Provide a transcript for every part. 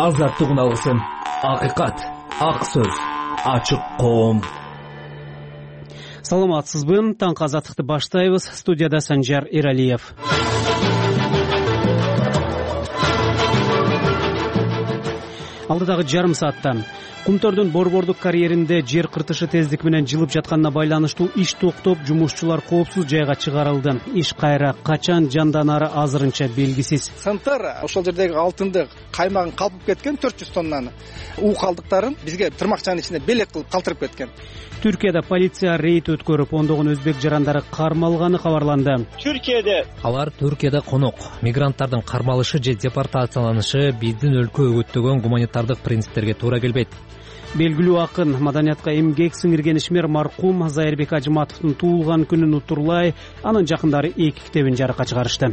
Азаттык алгысын, акыйкат, ак сөз, ачык коом. Саламатсызбы? Таңкы азаттыкты баштайбыз. Студияда Санжар Эралиев. Алдыдагы жарым саатта Кумтөрдүн борбордук карьеринде жер кыртышы тездик менен жылып жатканына байланыштуу иш токтоп, жумушчулар коопсуз жайга чыгарылды. Иш кайра качан жанданары азырынча белгисиз. Сантар ошол жердеги алтынды каймагын калпып кеткен 400 тоннаны. У калдыктарын бизге тырмакчанын ичинде белек кылып калтырып кеткен. Түркияда полиция рейд өткөрүп, ондогон өзбек жарандары кармалганы кабарланды. Алар Түркияда конок, мигранттардын кармалышы же депортацияланышы биздин өлкө өгөттөгөн гуманитардык принциптерге туура келбейт. Белгилүү акын, маданиятка эмгек сиңирген ишмер маркум Зайырбек Ажыматовдун туулган күнүн утурлай, анын жакындары 2 китебин жарыкка чыгарышты.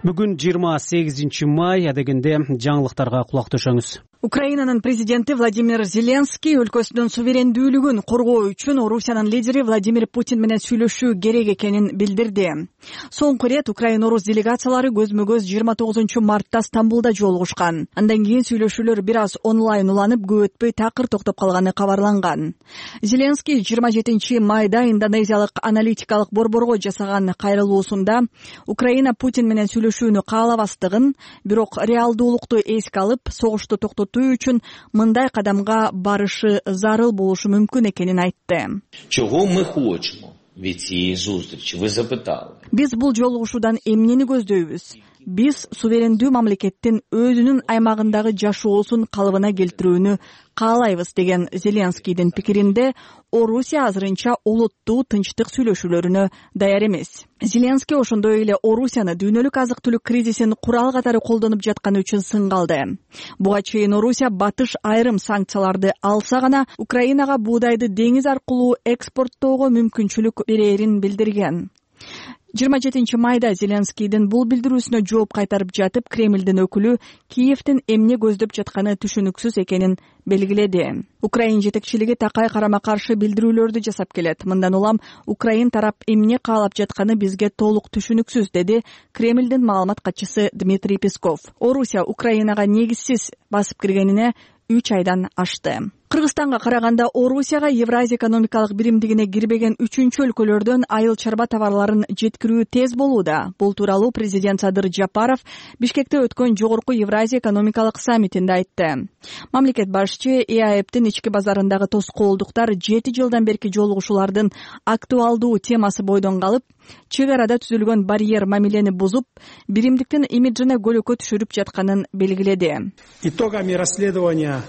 Бүгүн 28 май, адегенде жаңылыктарга кулак төшөңүз. Украинанын президенти Владимир Зеленский өлкөсүнүн суверендүүлүгүн коргоо үчүн Орусиянын лидери Владимир Путин менен сүйлөшүү керек экенин билдирди. Соңку ирет Украин-Орус делегациялары көзмө-көз 29 мартта Стамбулда жолугушкан. Андан кийин сүйлөшүүлөр бир аз онлайн уланып, көп өтпөй такыр токтоп калганы кабарланган. Зеленский 27 майда индонезиялык аналитикалык борборго жасаган кайрылуусунда Украина Путин менен сүйлөшүүнү каалабастыгын, бирок реалдуулукту эске алып, согушту токтотуу үчүн мындай кадамга барышы зарыл болушу мүмкүн экенин айтты. Чого мы хочемо від цієї зустрічі? Ви запитали. Биз бул жолугушуудан эмнени көздөйбүз? Биз суверендүү мамлекеттин өзүнүн аймагындагы жашоосун калыбына келтирүүнү каалайбыз деген Зеленскийдин пикиринде Орусия азырынча олуттуу тынчтык сүйлөшүүлөрүнө даяр эмес. Зеленский ошондой эле Орусияны дүйнөлүк азык-түлүк кризисин курал катары колдонуп жатканы үчүн сынгалды. Буга чейин Орусия батыш айрым санкцияларды алса гана Украинага буудайды деңиз аркылуу экспорттоого мүмкүнчүлүк берерин билдирген. 27 майда Зеленскийдин бул билдирүүсүнө жооп кайтарып жатып, Кремлдин өкүлү Киевдин эмне көздөп жатканы түшүнүксүз экенин белгиледи. Украин жетекчилиги такай карама-каршы билдирүүлөрдү жасап келет. Мындан улам Украин тарап эмне каалап жатканы бизге толук түшүнүксүз, деди Кремлдин маалымат катчысы Дмитрий Песков. Орусия Украинага негизсиз басып киргенине 3 айдан ашты. Кыргызстанга караганда Орусияга Евразия экономикалык биримдигине кирбеген 3-чү өлкөлөрдөн айыл чарба товарларын жеткирүү тез болууда. Бул тууралуу президент Садыр Жапаров Бишкекте өткөн жогорку Евразия экономикалык саммитинде айтты. Мамлекет башчы ЭАЭПтин ички базарындагы тоскоолдуктар 7 жылдан берки жолугушуулардын актуалдуу темасы бойдон калып, чек арада түзүлгөн барьер мамилени бузуп, биримдиктин имиджине көлөкө түшүрүп жатканын белгиледи. Итогами расследования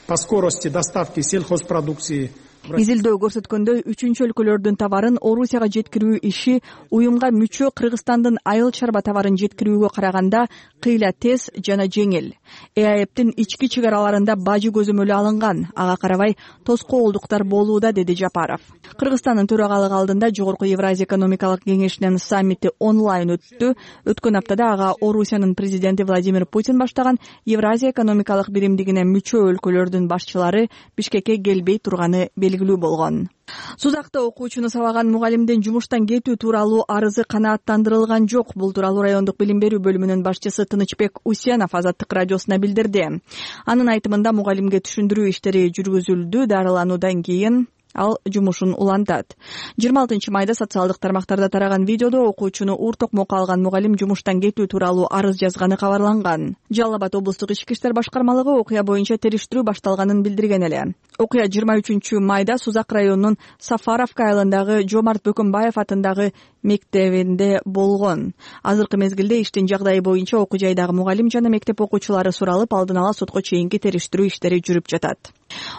по скорости доставки сельхозпродукции. Изилдөө көрсөткөндөй, 3-чү өлкөлөрдүн товарын Орусияга жеткирүү иши уюмга мүчө Кыргызстандын айыл чарба товарын жеткирүүгө караганда кыйла тез жана жеңил. ЭАЭПтин ички чек араларында бажы көзөмөлү алынган, ага карабай тоскоолдуктар болууда, деди Жапаров. Кыргызстандын төрагалыгы алдында жогорку Евразия экономикалык кеңешинин саммити онлайн өттү. Өткөн аптада ага Орусиянын президенти Владимир Путин баштаган Евразия экономикалык биримдигине мүчө өлкөлөрдүн башчылары Бишкекке келбей турганы белгилүү болгон. Сузакта окуучуну сабаган мугалимдин жумуштан кетүү тууралуу арызы канааттандырылган жок. Бул тууралуу райондук билим берүү бөлүмүнүн башчысы Тынычбек Усенов Азаттык радиосуна билдирди. Анын айтымында мугалимге түшүндүрүү иштери жүргүзүлдү, дарылануудан кийин ал жумушун улантат. 26 майда социалдык тармактарда тараган видеодо окуучуну ур токмокко алган мугалим жумуштан кетүү тууралуу арыз жазганы кабарланган. Жалал Абад облустук ички иштер башкармалыгы окуя боюнча териштирүү башталганын билдирген эле. Окуя 23 майда Сузак районунун Сафаровка айылындагы Жомарт Бөкөнбаев атындагы мектебинде болгон. Азыркы мезгилде иштин жагдайы боюнча окуу жайдагы мугалим жана мектеп окуучулары суралып, алдын ала сотко чейинки териштирүү иштери жүрүп жатат.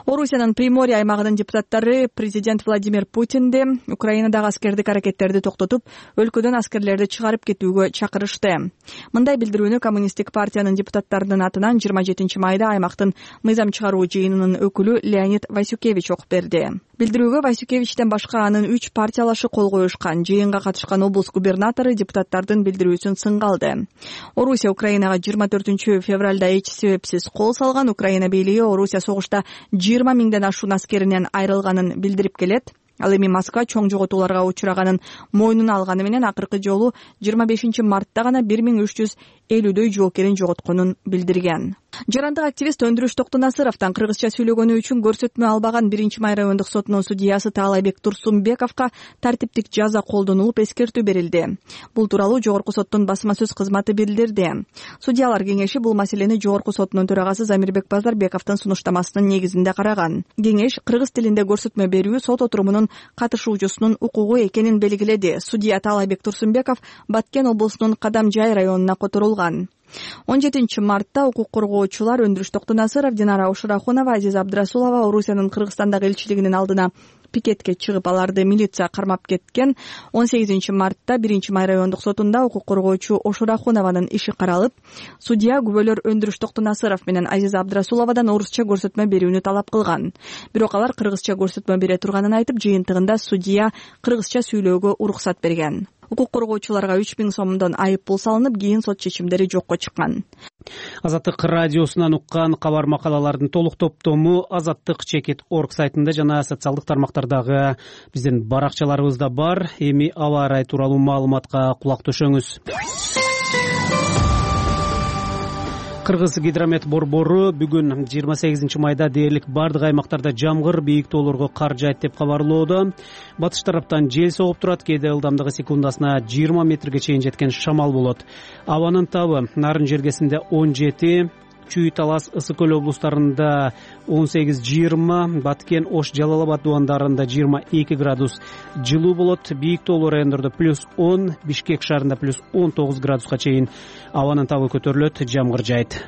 Орусиянын Приморье аймагынын депутаттары президент Владимир Путинди Украинадагы аскердик аракеттерди токтотуп, өлкөдөн аскерлерди чыгарып кетүүгө чакырышты. Мындай билдирүүнү Коммунисттик партиянын депутаттарынын атынан 27 майда аймактын мыйзам чыгаруу жыйынынын өкүлү Леонид Васюкевич окуп берди. Билдирүүгө Васюкевичтен башка анын 3 партиялашы кол коюшкан. Жыйынга катышкан облус губернатору депутаттардын билдирүүсүн сыңгалды. Орусия Украинага 24 февралда эч себепсиз кол салган. Украина бийлиги Орусия согушта 20 миңден ашуун аскеринен айрылганын билдирип келет. Ал эми Москва чоң жоготууларга учураганын мойнуна алганы менен акыркы жолу 25 мартта гана 1350дөй жоокерин жоготконун билдирген. Жарандык активист Өндүрүш Токтонасыровдон кыргызча сүйлөгөнү үчүн көрсөтмө албаган 1-Май райондук сотунун судьясы Таалайбек Турсунбековго тартиптик жаза колдонулуп эскертүү берилди. Бул тууралуу Жогорку соттун басма сөз кызматы билдирди. Судьялар кеңеши бул маселени Жогорку сотунун төрагасы Замирбек Базарбековдун сунуштамасынын негизинде караган. Кеңеш кыргыз тилинде көрсөтмө берүү сот отурумунун катышуучусунун укугу экенин белгиледи. Судья Таалайбек Турсунбеков Баткен облусунун Кадамжай районуна которулган. 17 мартта укук коргоочулар Өндүрүш Токтонасыров, Динара Ушурахунова, Азиза Абдрасулова Орусиянын Кыргызстандагы элчилигинин алдына пикетке чыгып, аларды милиция кармап кеткен. 18 мартта 1-Май райондук сотунда укук коргоочу Ушурахунованын иши каралып, судья күбөлөр Өндүрүш Токтонасыров менен Азиза Абдрасуловадан орусча көрсөтмө берүүнү талап кылган. Бирок алар кыргызча көрсөтмө бере турганын айтып, жыйынтыгында судья кыргызча сүйлөөгө уруксат берген. Укук коргоочуларга 3000 сомдон айып пул салынып, кийин сот чечимдери жокко чыккан. Азаттык радиосунан уккан кабар макалалардын толук топтому azattik.org сайтында жана социалдык тармактардагы биздин баракчаларыбызда бар. Эми аба ырайы тууралуу маалыматка кулак төшөңүз. Кыргыз гидромет борбору бүгүн 28 майда дээрлик бардык аймактарда жамгыр, бийик тоолорго кар жаайт деп кабарлоодо. Батыш тараптан жел согуп турат, кээде ылдамдыгы секундасына 20 метрге чейин жеткен шамал болот. Абанын табы Нарын жергесинде 17, Чүй, Талас, Ысык Көл облустарында 18-20, Баткен, Ош, Жалал Абад дубандарында 22 градус жылуу болот. Бийик тоолуу райондордо +10, Бишкек шаарында +19 градуска чейин абанын табы көтөрүлөт, жамгыр жаайт.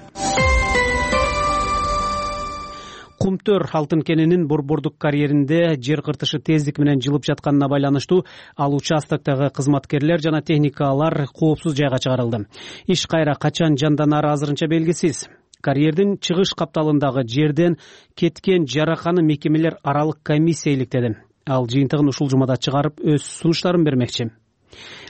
Кумтөр алтын кенинин борбордук карьеринде жер кыртышы тездик менен жылып жатканына байланыштуу ал участоктогу кызматкерлер жана техникалар коопсуз жайга чыгарылды. Иш кайра качан жанданары азырынча белгисиз. Карьердин чыгыш капталындагы жерден кеткен жараканы мекемелер аралык комиссия иликтеди. Ал жыйынтыгын ушул жумада чыгарып өз сунуштарын бермекчи.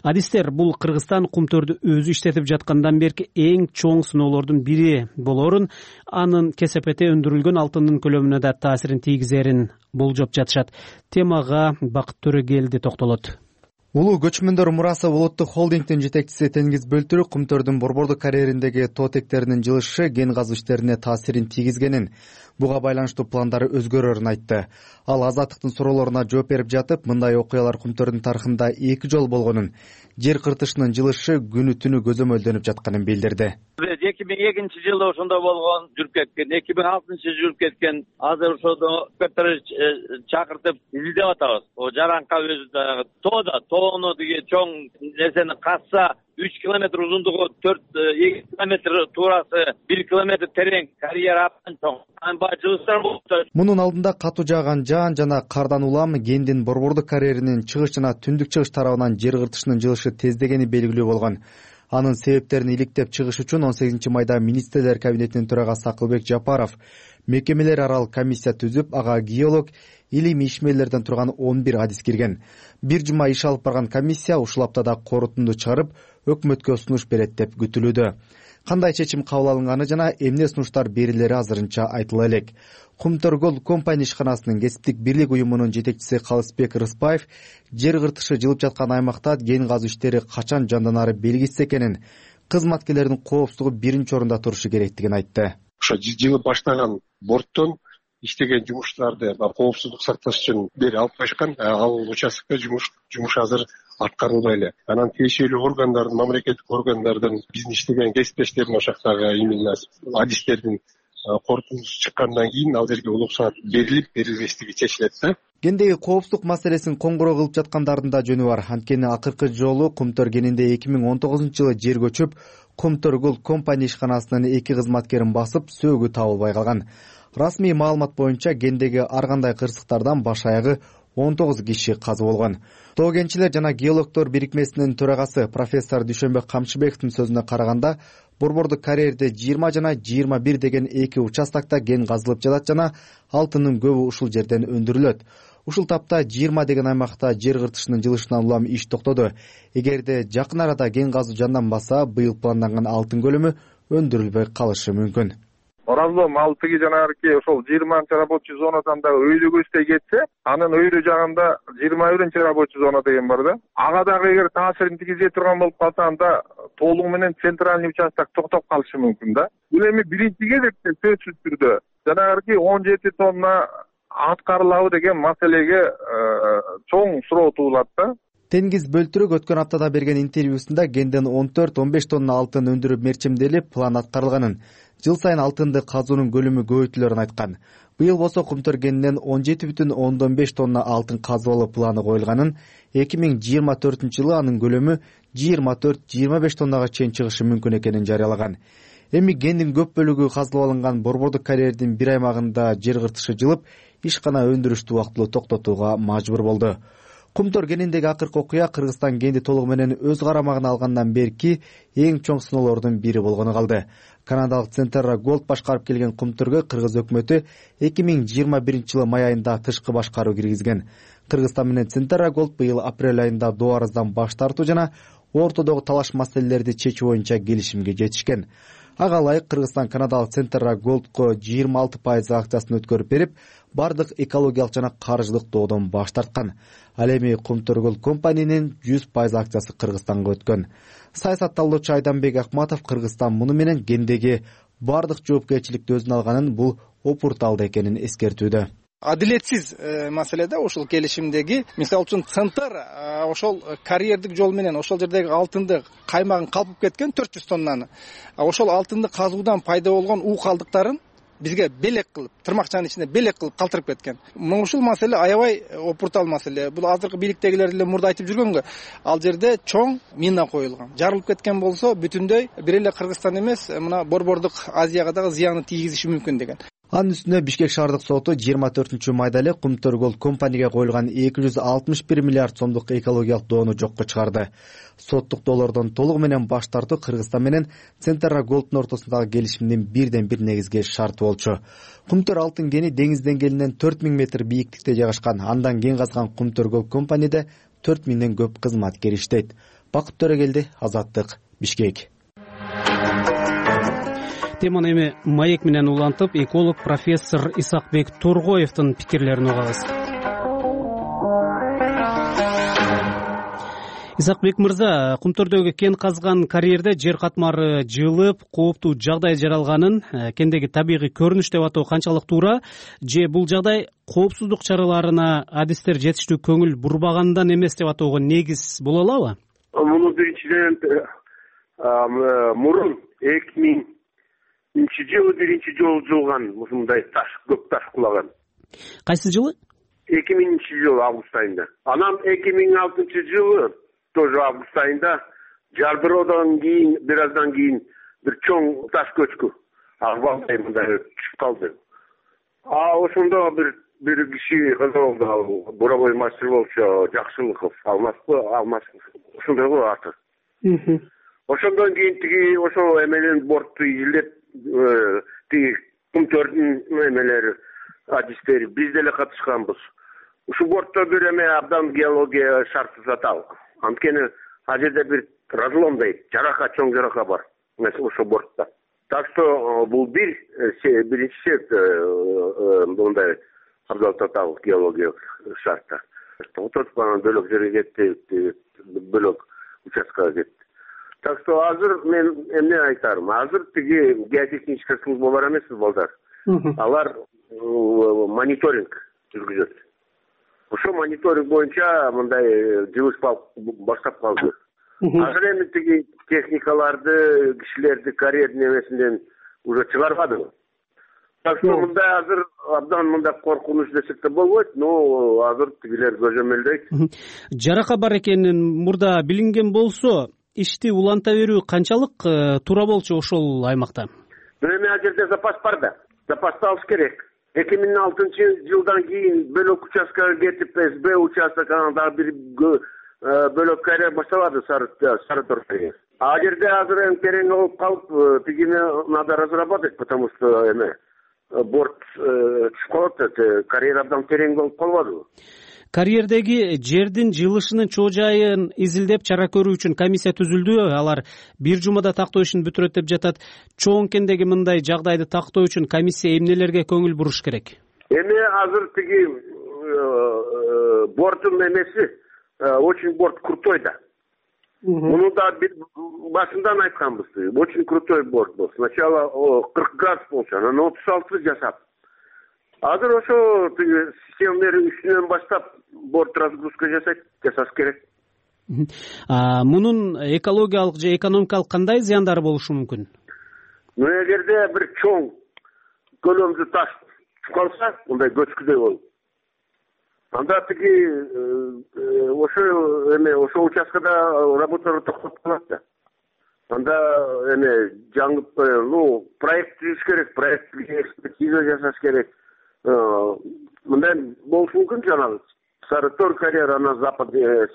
Адистер бул Кыргызстан кумтөрдү өзү иштетип жаткандан берки эң чоң сыноолордун бири болорун, анын кесепете өндүрүлгөн алтындын көлөмүнө да таасирин тийгизерин болжоп жатышат. Темага Бакыт Төрөгелди токтолот. Улуу көчмөндөр мурасы улуттук холдингдин жетекчиси Теңиз Бөлтүрүк кумтөрдүн борбордук карьериндеги тоо тектеринин жылышы ген казуу иштерине таасирин тийгизгенин, буга байланыштуу пландары өзгөрөрүн айтты. Ал Азаттыктын суроолоруна жооп берип жатып, мындай окуялар кумтөрдүн тарыхында 2 жолу болгонун, жер кыртышынын жылышы күнү түнү көзөмөлдөнүп жатканын билдирди. 2002-жылы ошондо болгон, жүрүп кеткен, 2006-жылы жүрүп кеткен. Азыр ошондо эксперттер чакыртып изилдеп атабыз. О жаранка өзү тоону деген чоң нерсени касса 3 километр узундугу, 2 километр туурасы, 1 километр терең, карьера абдан чоң. Жылыштар болду. Мунун алдында катуу жааган жаан жана кардан улам кендин борбордук карьеринин чыгыш жана түндүк чыгыш тарабынан жер кыртышынын жылышы тездегени белгилүү болгон. Анын себептерин иликтеп чыгыш үчүн 18 майда министрлер кабинетинин төрагасы Акылбек Жапаров мекемелер аралык комиссия түзүп, ага геолог, илим ишмерлерден турган 11 адис кирген. Бир жума иш алып барган комиссия ушул аптада корутунду чыгарып, өкмөткө сунуш берет деп күтүлүүдө. Кандай чечим кабыл алынганы жана эмне сунуштар берилери азырынча айтыла элек. Кумтөр Gold Company ишканасынын кесиптик бирлик уюмунун жетекчиси Калысбек Рыспаев жер кыртышы жылып жаткан аймакта ген казуу иштери качан жанданары белгисиз экенин, кызматкерлердин коопсуздугу биринчи орунда турушу керектигин айтты. Ошо жылып баштаган борттон иштеген жумуштарды коопсуздук сакташ үчүн бери алып кайышкан. Ал участокто жумуш азыр аткарылбай эле. Анан тиешелүү органдардын, мамлекеттик органдардын биздин иштеген кесиптештердин ошол жактагы именно адистердин корутундусу чыккандан кийин ал жерге уруксаат берилбестиги чечилет да. Гендеги коопсуздук маселесин коңгуроо кылып жаткандардын да жөнү бар. Анткени акыркы жолу Кумтөр кенинде 2019-жылы жер көчүп, Кумтөр Gold Company ишканасынын 2 кызматкерин басып, сөөгү табылбай калган. Расмий маалымат боюнча кендеги ар кандай кырсыктардан баш аягы 19 киши казы болгон. Тоо кенчилер жана геологдор бирикмесинин төрагасы профессор Дүйшөнбек Камчыбековдун сөзүнө караганда, борбордук карьерде 20 жана 21 деген 2 участокто ген казылып жатат жана алтындын көбү ушул жерден өндүрүлөт. Ушул тапта 20 деген аймакта жер кыртышынын жылышынан улам иш токтоду. Эгерде жакын арада ген казуу жанданбаса, быйыл планданган алтын көлөмү өндүрүлбөй калышы мүмкүн. Оразлом ал тиги жанагы ошол 20 рабочий зонадан да өйдө көздөй кетсе, анын өйдө жагында 21 рабочий зона деген бар да. Ага дагы эгер таасирин тийгизе турган болуп калса, анда толугу менен центральный участок токтоп калышы мүмкүн да. Бул эми биринчи кезекте сөзсүз түрдө жанагы 17 тонна аткарылабы деген маселеге чоң суроо туулат да. Тенгиз Бөлтүрөк өткөн аптада берген интервьюсунда кенден 14-15 тонна алтын өндүрүү мерчемделип, план аткарылганын, жыл сайын алтынды казуунун көлөмү көбөйтүлөрүн айткан. Быйыл болсо Кумтөр кенинен 17,5 тонна алтын казылуу планы коюлганын, 2024-жылы анын көлөмү 24-25 тоннага чейин чыгышы мүмкүн экенин жарыялаган. Эми кендин көп бөлүгү казылып алынган борбордук карьердин бир аймагында жер кыртышы жылып, ишкана өндүрүштү убактылуу токтотууга мажбур болду. Кумтөр кениндеги акыркы окуя Кыргызстан кенди толугу менен өз карамагына алгандан берки эң чоң сыноолордун бири болгону калды. Канадалык Центерра Голд башкарып келген Кумтөргө кыргыз өкмөтү 2021-жылы май айында тышкы башкаруу киргизген. Кыргызстан менен Центерра Голд быйыл апрель айында доо арыздан баш тартуу жана ортодогу талаш маселелерди чечүү боюнча келишимге жетишкен. Ага ылайык Кыргызстан канадалык Центерра Голдко 26% акциясын өткөрүп берип, бардык экологиялык жана каржылык доодон баш тарткан. Ал эми Кумтөр Голд компаниянын 100% акциясы Кыргызстанга өткөн. Саясатталуучу Айданбек Акматов Кыргызстан муну менен кендеги бардык жоопкерчиликти өзүнө алганын, бул опурталды экенин эскертүүдө. Адилетсиз маселе да ошол келишимдеги. Мисалы үчүн Центр ошол карьердик жол менен ошол жердеги алтынды каймагын калпып кеткен 400 тоннаны. Ошол алтынды казуудан пайда болгон уу калдыктарын бизге белек кылып, тырмакчанын ичинде белек кылып калтырып кеткен. Ушул маселе аябай опуртал маселе. Бул азыркы бийликтегилер деле мурда айтып жүргөнгө, ал жерде чоң мина коюлган. Жарылып кеткен болсо бүтүндөй бир эле Кыргызстан эмес, мына борбордук Азияга дагы зыяны тийгизиши мүмкүн деген. Анын үстүнө Бишкек шаардык соту 24-майда эле Кумтөр Голд компанияга коюлган 261 миллиард сомдук экологиялык доону жокко чыгарды. Соттук доолордон толугу менен баш тартуу Кыргызстан менен Центерра Голддун ортосундагы келишимдин бир негизги шарты болчу. Кумтөр алтын кени деңиз деңгээлинен 4000 метр бийиктикте жайгашкан. Андан кен казган Кумтөр Голд компанияда 4000ден көп кызматкер иштейт. Бакыт Төрөгелди, Азаттык, Бишкек. Теманы эми маек менен улантып, эколог профессор Исакбек Тургоевдин пикирлерин угабыз. Исакбек мырза, Кумтөрдөгү кен казган карьерде жер катмары жылып, кооптуу жагдай жаралганын кендеги табигый көрүнүш деп атоо канчалык туура, же бул жагдай коопсуздук чараларына адистер жетиштүү көңүл бурбагандан эмес деп атоого негиз боло алабы? Муну биринчиден мурун 2000-жылы биринчи жолу жылган ушундай таш, көп таш кулаган. Кайсы жылы? 2000-жылы август айында. Анан 2006-жылы тоже август айында жардыроодан кийин, бир аздан кийин бир чоң таш көчкү. Агыбалдай мындай түшүп калды. Ошондо бир киши кызылды, буровой мастер болчу, Жакшылыков, Алмаз, ошондой го аты. Ошондон кийин тиги ошол эмелен бортту изилдеп, тиги Кумтөрдүн эмелери, адистери биз деле катышканбыз. Ушу бортто бир эме абдан геология шарты затал. Анткени ал жерде бир разломдой жарака, чоң жарака бар ошол бортто. Так что бул биринчи себеп мындай абдан татал геология шартта. Ототуп анан бөлөк жерге кетти, бөлөк участкага кетти. Так что азыр мен эмне айтарым? Азыр тиги геотехнический служба бар эмеспи, балдар? Алар мониторинг жүргүзөт. Ошо мониторинг боюнча мындай жылыш баштап калды. Азыр эми тиги техникаларды, кишилерди карьердин эмесинен уже чыгарбады. Так что мындай азыр абдан мындай коркунуч десек да болбойт, но азыр тигилер көзөмөлдөйт. Жарака бар экенин мурда билинген болсо, ишти уланта берүү канчалык туура болчу ошол аймакта? Эми ал жерде запас бар да. Запасты алыш керек. 2006-жылдан кийин бөлөк участкага кетип, СБ участок, анан дагы бир бөлөк карьер башталады Сары-Тор карьер. Ал жерде азыр эми терең болуп калып, тигини надо разрабатывать, потому что борт түшүп калат, карьер абдан терең болуп калбадыбы? Карьердеги жердин жылышынын чоо жайын изилдеп чара көрүү үчүн комиссия түзүлдү. Алар бир жумада тактоо ишин бүтүрөт деп жатат. Чоңкендеги мындай жагдайды тактоо үчүн комиссия эмнелерге көңүл буруш керек? Эми азыр тиги борттун эмеси очень борт крутой да. Муну да башынан айтканбыз. Очень крутой борт был. Сначала 40 градус болчу, анан 36 жасап. Азыр ошо системалердин үстүнөн баштап борт разгрузка жасаш керек. Мунун экологиялык же экономикалык кандай зыяндары болушу мүмкүн? Эгерде бир чоң көлөмдүү таш чукалса, мындай көчкүдөй болуп. Анда тиги ошо участкада работалар токтоп калат да. Анда жаңы проект түзүш керек, проекттик экспертиза жасаш керек. Мындай болушу мүмкүн жанагы Сарытор карьер, анан западный,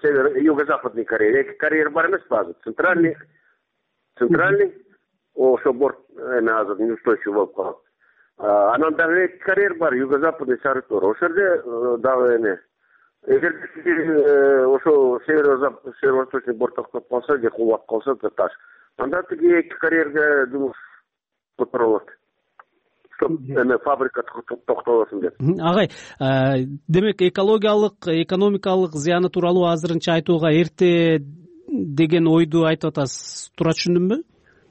юго-западный карьер. Эки карьер бар эмес базы. Центральный, ошо борт азыр неустойчивый болуп калат. Анан дагы эки карьер бар, юго-западный, Сарытор. Ошол жерде дагы эгер ошо северо-восточный борт токтоп калса, же кулап калса таш, анда тиги эки карьерге жумуш которулат. Фабрика токтолосун деп. Агай, демек экологиялык, экономикалык зыяны тууралуу азырынча айтууга эрте деген ойду айтып атасыз. Туура түшүндүмбү?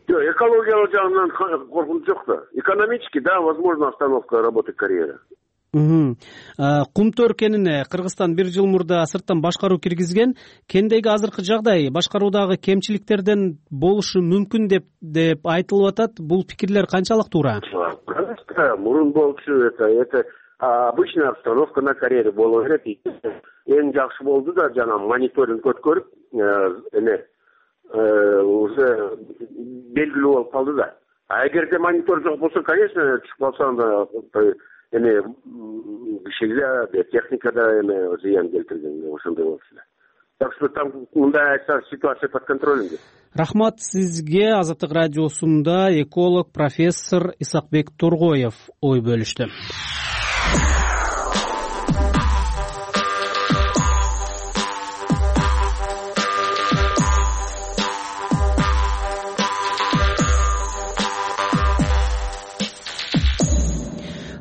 Жок, экологиялык жагынан коркунуч жок да. Экономически, да, возможно остановка работы карьера. Кумтөр кенине Кыргызстан бир жыл мурда сырттан башкаруу киргизген. Кендеги азыркы жагдай башкаруудагы кемчиликтерден болушу мүмкүн деп айтылып атат. Бул пикирлер канчалык туура? Мурун болчу, это обычная обстановка на карьере боло берет. Эң жакшы болду да жана мониторинг өткөрүп, уже белгилүү болуп калды да. А эгерде монитор жок болсо, конечно, чыгып калса анда кишиге техникада зыян келтирген ошондой болчу да. Так что там мындай ситуация под контролем. Рахмат сизге. Азаттык радиосунда эколог профессор Исакбек Торгоев ой бөлүштү.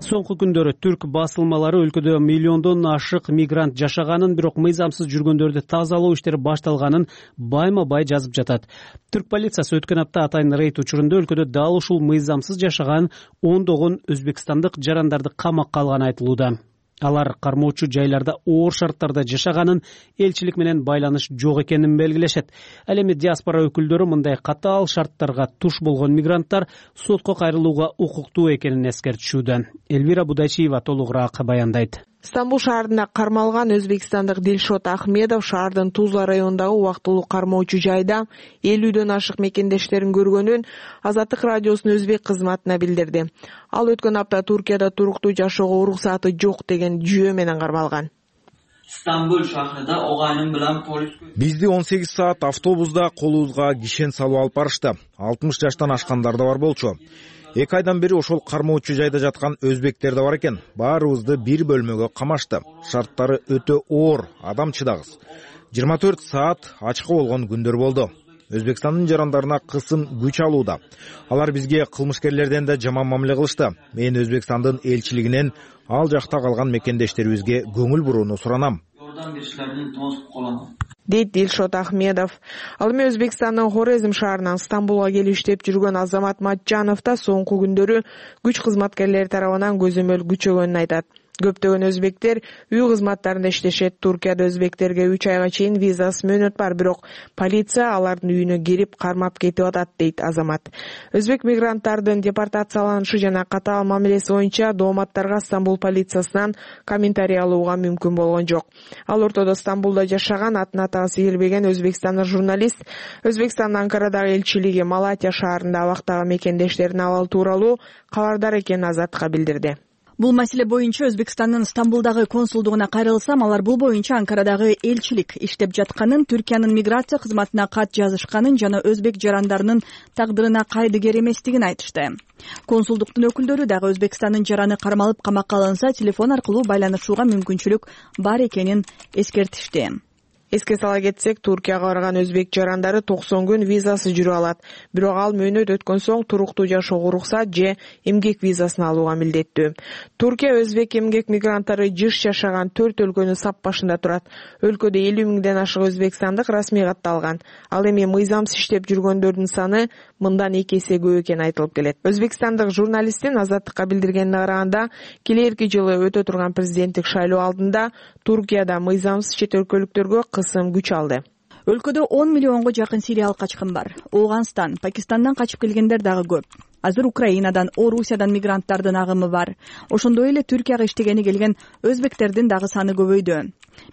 Соңку күндөрү түрк басылмалары өлкөдө миллиондон ашык мигрант жашаганын, бирок мыйзамсыз жүргөндөрдү тазалоо иштери башталганын байма-бай жазып жатат. Түрк полициясы өткөн апта атайын рейд учурунда өлкөдө дал ушул мыйзамсыз жашаган ондогон өзбекстандык жарандарды камакка алганы айтылууда. Алар кармоочу жайларда оор шарттарда жашаганын, элчилик менен байланыш жок экенин белгилешет. Ал эми диаспора өкүлдөрү мындай катаал шарттарга туш болгон мигранттар сотко кайрылууга укуктуу экенин эскертишүүдө. Элвира Будайчиева толугураак баяндайт. Стамбул шаарында кармалган өзбекстандык Дилшот Ахмедов шаардын Тузла районундагы убактылуу кармоочу жайда 50дөн ашык мекендештерин көргөнүн Азаттык радиосунун өзбек кызматына билдирди. Ал өткөн апта Туркияда туруктуу жашоого уруксаты жок деген жүйө менен кармалган. Стамбул шаарында огайным менен полис бизди 18 саат автобуста колубузга кишен салып алып барышты. 60 жаштан ашкандар да бар болчу. 2 айдан бери ошол кармоочу жайда жаткан өзбектер да бар экен. Баарыбызды бир бөлмөгө камашты. Шарттары өтө оор, адам чыдагыс. 24 саат ачка болгон күндөр болду. Өзбекстандын жарандарына кысым күч алууда. Алар бизге кылмышкерлерден да жаман мамиле кылышты. Мен Өзбекстандын элчилигинен ал жакта калган мекендештерибизге көңүл бурууну суранам. Дейт Дилшот Ахмедов. Ал эми Өзбекстандын Хорезм шаарынан Стамбулга келип иштеп жүргөн Азамат Матжанов да соңку күндөрү күч кызматкерлери тарабынан көзөмөл күчөгөнүн айтат. Көптөгөн өзбектер үй кызматтарында иштешет. Туркияда өзбектерге 3 айга чейин визасыз мөөнөт бар, бирок полиция алардын үйүнө кирип кармап кетип атат, дейт Азамат. Өзбек мигранттардын депортацияланышы жана катаал мамилеси боюнча дооматтарга Стамбул полициясынан комментарий алууга мүмкүн болгон жок. Ал ортодо Стамбулда жашаган атын атагы сейилбеген өзбекстандык журналист Өзбекстандын Анкарадагы элчилиги Малатия шаарында абактагы мекендештерин абалы тууралуу кабардар экенин Азатка билдирди. Бул маселе боюнча Өзбекстандын Стамбулдагы консулдугуна кайрылсам, алар бул боюнча Анкарадагы элчилик иштеп жатканын, Түркиянын миграция кызматына кат жазышканын жана өзбек жарандарынын тагдырына кайдыгер эместигин айтышты. Консулдуктун өкүлдөрү дагы Өзбекстандын жараны кармалып камакка алынса, телефон аркылуу байланышууга мүмкүнчүлүк бар экенин эскертишти. Эске сала кетсек, Туркияга барган өзбек жарандары 90 күн визасы жүрүп алат. Бирок ал мөөнөт өткөн соң туруктуу жашоого уруксат же эмгек визасын алууга милдеттүү. Туркия өзбек эмгек мигранттары жыш жашаган 4 өлкөнүн сап башында турат. Өлкөдө 50 миңден ашык өзбекстандык расмий катталган. Ал эми мыйзамсыз иштеп жүргөндөрдүн саны мындан 2 эсе көп экени айтылып келет. Өзбекстандык журналисттин Азаттыкка билдиргенине караганда, келерки жылы өтө турган президенттик шайлоо алдында Туркияда мыйзамсыз чет өлкөлүктөргө кысым күч алды. Өлкөдө 10 миллионго жакын сириялык качкын бар. Ооганстан, Пакистандан качып келгендер дагы көп. Азыр Украинадан, Орусиядан мигранттардын агымы бар. Ошондой эле Түркияга иштегени келген өзбектердин дагы саны көбөйдү.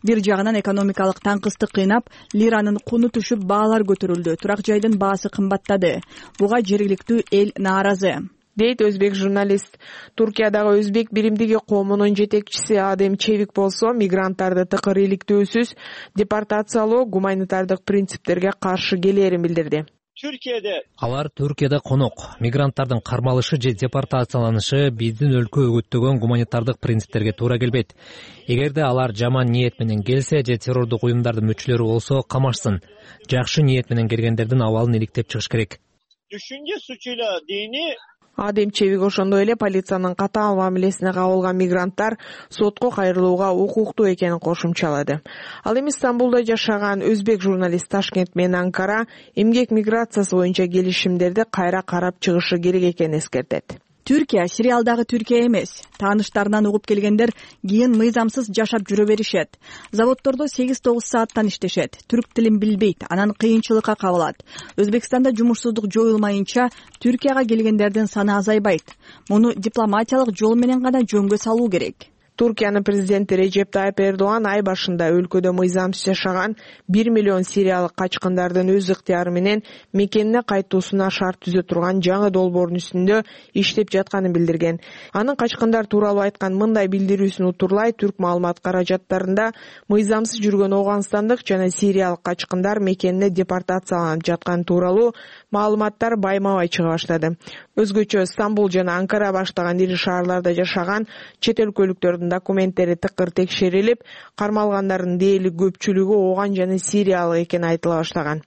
Бир жагынан экономикалык таңкыстык кыйнап, лиранын куну түшүп, баалар көтөрүлдү. Турак жайдын баасы кымбаттады. Буга жергиликтүү эл нааразы, дейт өзбек журналист. Туркиядагы өзбек биримдиги коомунун жетекчиси Адем Чевик болсо, мигранттарды тыкыр иликтөөсүз депортациялоо гуманитардык принциптерге каршы келерин билдирди. Алар Түркияда конок, мигранттардын кармалышы же депортацияланышы биздин өлкө өгөттөгөн гуманитардык принциптерге туура келбейт. Эгерде алар жаман ниет менен келсе же террордук уюмдардын мүчөлөрү болсо, камашсын. Жакшы ниет менен келгендердин абалын иликтеп чыгыш керек. Адем Чевик ошондой эле полициянын катаал мамилесине кабылган мигранттар сотко кайрылууга укуктуу экенин кошумчалады. Ал эми Стамбулда жашаган өзбек журналист Ташкент менен Анкара эмгек миграциясы боюнча келишимдерди кайра карап чыгышы керек экенин эскертет. Түркия сериалдагы Түркия эмес. Тааныштарынан угуп келгендер кийин мыйзамсыз жашап жүрө беришет. Заводдордо 8-9 сааттан иштешет. Түрк тилин билбейт, анан кыйынчылыкка кабылат. Өзбекстанда жумушсуздук жоюлмайынча Түркияга келгендердин саны азайбайт. Муну дипломатиялык жол менен гана жөнгө салуу керек. Туркиянын президенти Режеп Тайып Эрдоган ай башында өлкөдө мыйзамсыз жашаган 1 миллион сириялык качкындардын өз ыктыяры менен мекенине кайтуусуна шарт түзө турган жаңы долбоордун үстүндө иштеп жатканын билдирген. Анын качкындар тууралуу айткан мындай билдирүүсүн утурлай Түрк маалымат каражаттарында мыйзамсыз жүргөн ооганстандык жана сириялык качкындар мекенине депортацияланып жаткан тууралуу маалыматтар байма-бай чыга баштады. Өзгөчө Стамбул жана Анкара баштаган ири шаарларда жашаган чет өлкөлүктөрдүн документтери тыкыр текшерилип, кармалгандардын дээрлик көпчүлүгү ооган жана сириялык экени айтыла баштаган.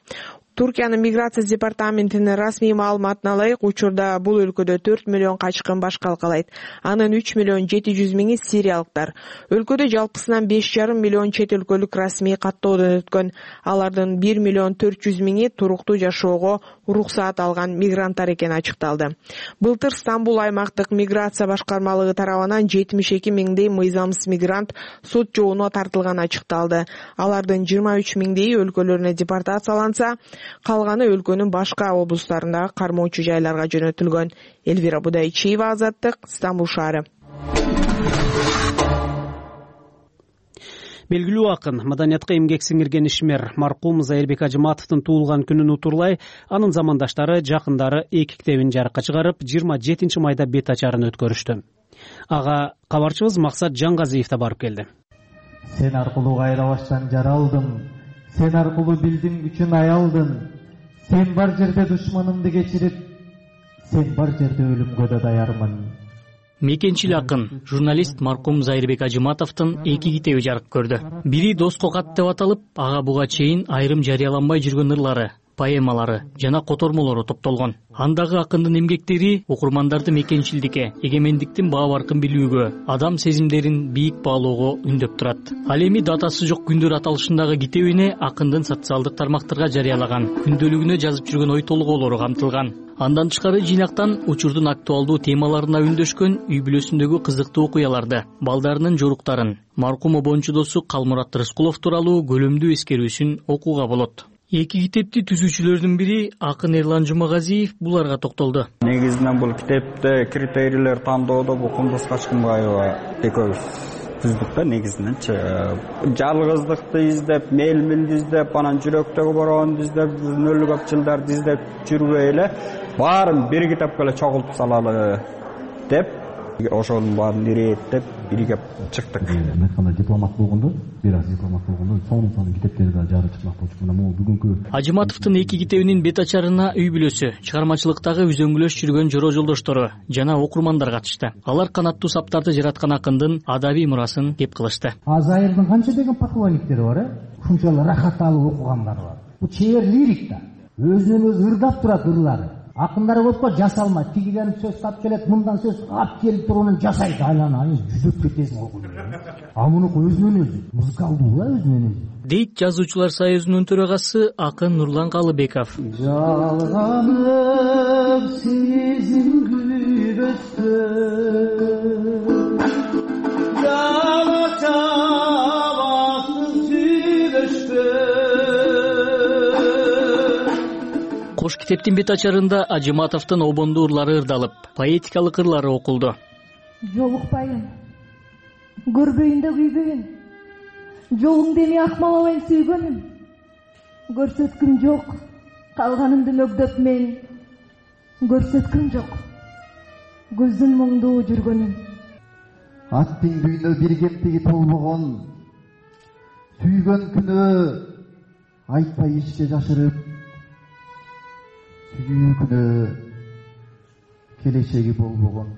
Туркиянын миграция департаментинин расмий маалыматына ылайык, учурда бул өлкөдө 4 миллион качкын баш калкалайт. Анын 3 миллион 700 миңи сириялыктар. Өлкөдө жалпысынан 5,5 миллион чет өлкөлүк расмий каттоодон өткөн. Алардын 1 миллион 400 миңи туруктуу жашоого уруксаат алган мигранттар экени ачыкталды. Былтыр Стамбул аймактык миграция башкармалыгы тарабынан 72 миңдей мыйзамсыз мигрант сот жообуна тартылганы ачыкталды. Алардын 23 миңдейи өлкөлөрүнө депортацияланса, калганы өлкөнүн башка облустарындагы кармоочу жайларга жөнөтүлгөн. Элвира Будайчиева, Азаттык, Стамбул шаары. Белгилүү акын, маданиятка эмгек сиңирген ишмер маркум Зайырбек Ажыматовдун туулган күнүн утурлай, анын замандаштары, жакындары 2 китебин жарыкка чыгарып, 27 майда бет ачарын өткөрүштү. Ага кабарчыбыз Максат Жаңгазиев да барып келди. Сен аркылуу кайрабаштан жаралдым, сен аркылуу билдим күчүн аялдын, сен бар жерде душманымды кечирип, сен бар жерде өлүмгө да даярмын. Мекенчил акын, журналист маркум Зайырбек Ажыматовдун 2 китеби жарык көрдү. Бири Доско кат деп аталып, ага буга чейин айрым жарыяланбай жүргөн ырлары, поэмалары жана котормолору топтолгон. Андагы акындын эмгектери окурмандарды мекенчилдикке, эгемендиктин баа баркын билүүгө, адам сезимдерин бийик баалоого үндөп турат. Ал эми датасы жок күндөр аталышындагы китебине акындын социалдык тармактарга жарыялаган, күндөлүгүнө жазып жүргөн ой толгоолору камтылган. Андан тышкары жыйнактан учурдун актуалдуу темаларына үндөшкөн үй бүлөсүндөгү кызыктуу окуяларды, балдарынын жоруктарын, маркум обончу досу Калмурат Рыскулов тууралуу көлөмдүү эскерүүсүн окууга болот. 2 китепти түзүүчүлөрдүн бири акын Эрлан Жумагазиев буларга токтолду. Негизинен бул китепте критерийлер тандоодо бул Кундуз Качкынбаева экөөбүз түздүк да негизиненчи. Жалгыздыкты издеп, мелмилди издеп, анан жүрөктөгү бороону издеп, нөлүк көп жылдарды издеп жүрбөй эле баарын бир китепке эле чогултуп салалы деп ошонун баарын ирээттеп биригип чыктык. Мен айткандай дипломат болгондо, бир аз дипломат болгондо сонун китептерди да жарып чыкмак болчу. Мына могу бүгүнкү Ажыматовдун 2 китебинин бет ачарына үй бүлөсү, чыгармачылыктагы үзөңгүлөш жүргөн жора жолдоштору жана окурмандар катышты. Алар канаттуу саптарды жараткан акындын адабий мурасын кеп кылышты. Азайырдын канча деген поклонниктери бар, ушунчалык рахат алып окугандар бар. Бул чебер лирик да. Өзүнөн өзү ырдап турат ырлары. Акындар болсо жасалмайт. Тигиден сөз тап келет, мындан сөз ап келип туруп жасайт. Айлана жүзүп кетесиң окуйт. А мунуку өзүнөн өзү музыкалдуу да өзүнөн өзү. Дейт жазуучулар союзунун төрагасы акын Нурлан Калыбеков. Жалганып сезим күбөстө Кош китептин бет ачарында Ажыматовдун обондуу ырлары ырдалып, поэтикалык ырлары окулду. Жолукпайын, көрбөйүн да күйбөйүн, жолуңду эми акмалабайын сүйгөнүм. Көрсөткүм жок, калганымды мөгдөп мен, көрсөткүм жок, көздүн моңдуу жүргөнүм. Аттың бүйүнө бир кептиги толбогон, сүйгөн күнөө айтпай ичке жашырып, сүйүү күнөө келечеги болбогон.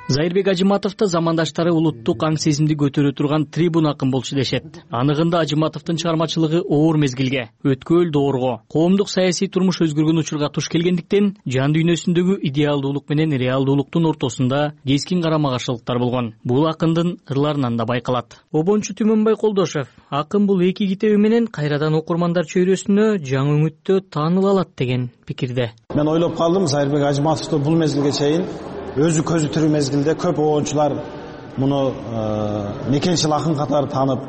Зайырбек Ажыматовду замандаштары улуттук аң сезимди көтөрө турган трибун акын болчу дешет. Анығында Ажыматовдун чыгармачылыгы оор мезгилге, өткөл доорго, коомдук саясий турмуш өзгөргөн учурга туш келгендиктен, жан дүйнөсүндөгү идеалдуулук менен реалдуулуктун ортосунда кескин карама-каршылыктар болгон. Бул акындын ырларынан да байкалат. Обончу Түмөнбай Колдошев акын бул 2 китеби менен кайрадан окурмандар чөйрөсүнө жаңы үмүттө тааныла алат деген пикирде. Мен ойлоп калдым, Зайырбек Ажыматовду бул мезгилге чейин өзү көзү тирүү мезгилде көп оончулар муну мекенчил акын катары таанып,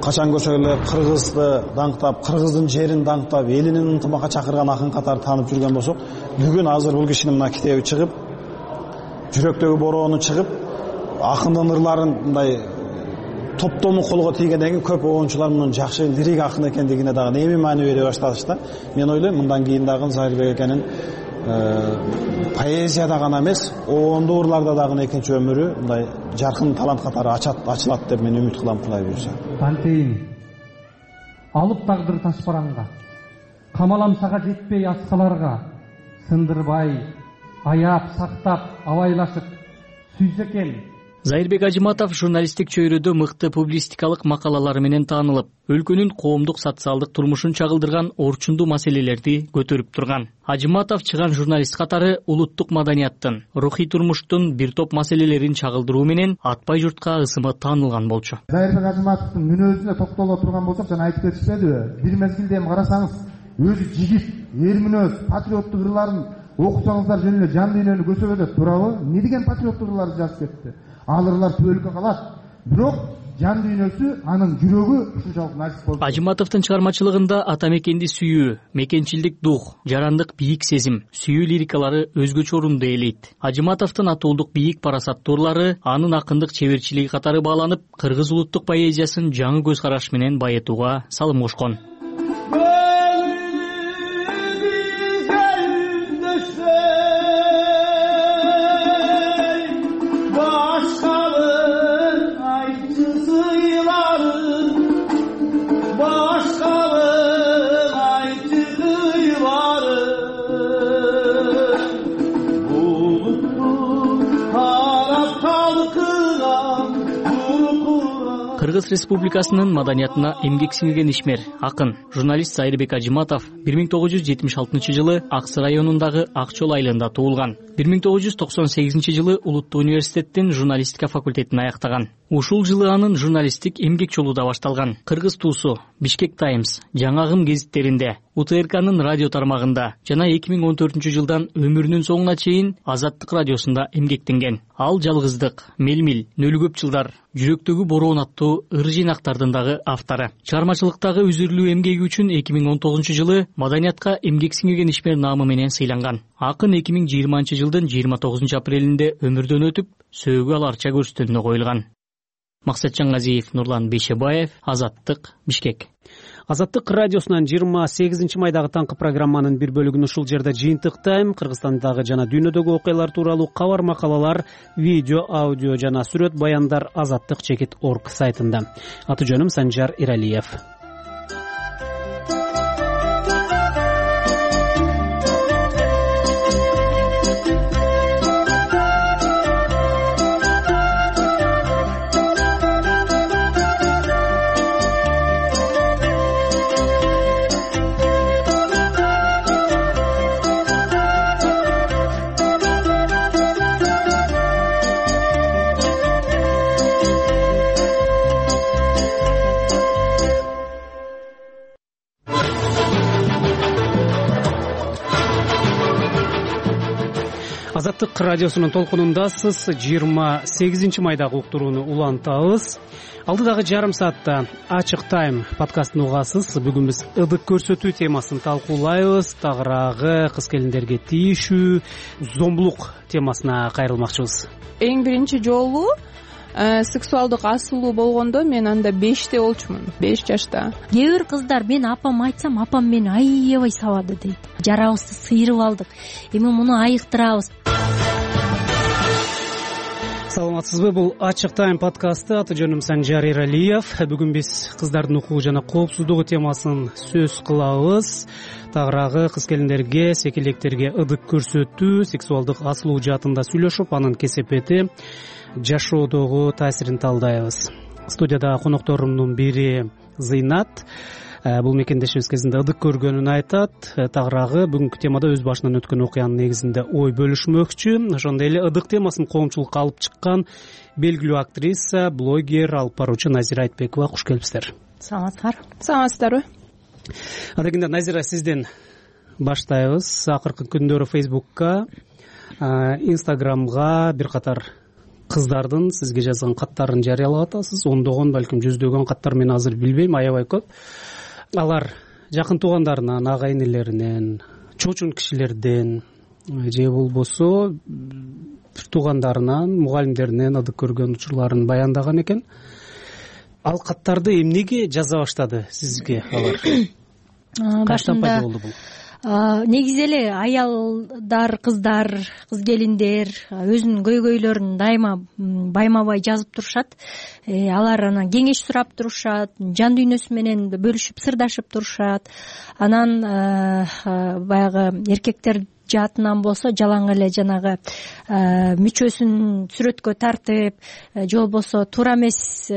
качан көрсө эле кыргызды даңктап, кыргыздын жерин даңктап, элинин ынтымакка чакырган акын катары таанып жүргөн болсок, бүгүн азыр бул кишинин мына китеби чыгып, жүрөктөгү бороону чыгып, акындын ырларын мындай топтому колго тийгенден кийин көп оончулар мунун жакшы лирик акын экендигине дагы эми маани бере башташты. Мен ойлойм, мындан кийин дагы Зайырбек экенин поэзияда гана эмес, оондуу ырларда дагы экинчи өмүрү мындай жаркын талант катары ачылат деп мен үмүт кылам, Кудай буйрса. Кантейин алып тагдыр таш бараңга, камаламсага жетпей аскаларга, сындырбай, аяп, сактап, абайлашып сүйсө экен. Зайырбек Ажыматов журналисттик чөйрөдө мыкты публистикалык макалалары менен таанылып, өлкөнүн коомдук социалдык турмушун чагылдырган орчундуу маселелерди көтөрүп турган. Ажыматов чыган журналист катары улуттук маданияттын, рухий турмуштун бир топ маселелерин чагылдыруу менен атпай журтка ысымы таанылган болчу. Зайырбек Ажыматовдун мүнөзүнө токтоло турган болсок, жана айтып кетишпедиби? Бир мезгилде эми карасаңыз, өзү жигит, эр мүнөз, патриоттук ырларын окусаңыздар жөн эле жан дүйнөнү көсөбөдөт, туурабы? Эмне деген патриоттук ырларды жазып кетти? Ал ырлар түбөлүккө калат. Бирок жан дүйнөсү, анын жүрөгү ушунчалык насип болду. Ажыматовдун чыгармачылыгында ата мекенди сүйүү, мекенчилдик дух, жарандык бийик сезим, сүйүү лирикалары өзгөчө орунду ээлейт. Ажыматовдун атуулдук бийик парасаттуу ырлары анын акындык чеберчилиги катары бааланып, кыргыз улуттук поэзиясын жаңы көз караш менен байытууга салым кошкон. Кыргыз Республикасынын маданиятына эмгек сиңирген ишмер, акын, журналист Зайырбек Ажыматов 1976 жылы Аксы районундагы Ак Чол айылында туулган. 1998 жылы Улуттуу университеттин журналистика факультетин аяктаган. Ушул жылы анын журналисттик эмгек жолу да башталган. Кыргыз туусу, Бишкек Таймс, Жаңагым гезиттеринде, УТРКнын радио тармагында жана 2014 жылдан өмүрүнүн соңуна чейин Азаттык радиосунда эмгектенген. Ал жалгыздык, мелмил, нөлү көп жылдар, жүрөктөгү бороон аттуу ыр жыйнактардын дагы автору. Чыгармачылыктагы үзүрлүү эмгеги үчүн 2019 жылы маданиятка эмгек сиңирген ишмер наамы менен сыйланган. Акын 2020 жылдын 29 апрелинде өмүрдөн өтүп, сөөгү ал арча көрстөлүнө коюлган. Максатжан Газиев, Нурлан Бейшебаев, Азаттык, Бишкек. Азаттык радиосунан 28 майдагы таңкы программанын бир бөлүгүн ушул жерде жыйынтыктайм. Кыргызстандагы жана дүйнөдөгү окуялар тууралуу кабар, макалалар, видео, аудио жана сүрөт баяндар azattik.org сайтында. Аты жөнүм Санжар Иралиев. Азаттык радиосунун толкунундасыз. 28 майдагы уктурууну улантабыз. Алдыдагы жарым саатта Ачык тайм подкастын угасыз. Бүгүн биз ыдык көрсөтүү темасын талкуулайбыз. Тагыраагы кыз келиндерге тийишүү, зомбулук темасына кайрылмакчыбыз. Эң биринчи жолу сексуалдык асылуу болгондо мен анда 5те болчумун. 5 жашта. Кээ бир кыздар мен апам айтсам, апам мени аябай сабады дейт. Жарабызды сыйрып алдык. Эми муну айыктырабыз. Саламатсызбы? Бул Ачык тайм подкасты. Аты жөнүм Санжар Иралиев. Бүгүн биз кыздардын укугу жана коопсуздугу темасын сөз кылабыз. Тагыраагы кыз келиндерге, секелектерге ыдык көрсөтүү, сексуалдык асылуу жаатында сүйлөшүп, анын кесепети, жашоодогу таасирин талдайбыз. Студияда конокторумдун бири Зыйнат. Бул мекендешибиз кезинде ыдык көргөнүн айтат. Тагыраагы бүгүнкү темада өз башынан өткөн окуянын негизинде ой бөлүшмөкчү. Ошондой эле ыдык темасын коомчулукка алып чыккан белгилүү актриса, блогер, алып баруучу Назира Айтбекова. Куш келипсиздер. Саламатсыздарбы? Адегенде Назира, сизден баштайбыз. Акыркы күндөрү Фейсбукка, Инстаграмга бир катар кыздардын сизге жазган каттарын жарыялап атасыз. Ондогон, балким жүздөгөн каттар, мен азыр билбейм, аябай көп. Алар жакын туугандарынан, ага энелеринен, чочун кишилерден же болбосо туугандарынан, мугалимдеринен ыдык көргөн учурларын баяндаган экен. Ал каттарды эмнеге жаза баштады сизге алар? Качтан пайда болду бул? Негизи эле аялдар, кыздар, кыз келиндер өзүнүн көйгөйлөрүн дайыма байма-бай жазып турушат. Алар анан кеңеш сурап турушат, жан дүйнөсү менен бөлүшүп, сырдашып турушат. Анан баягы эркектер жаатынан болсо жалаң эле жанагы мүчөсүн сүрөткө тартып, же болбосо туура эмес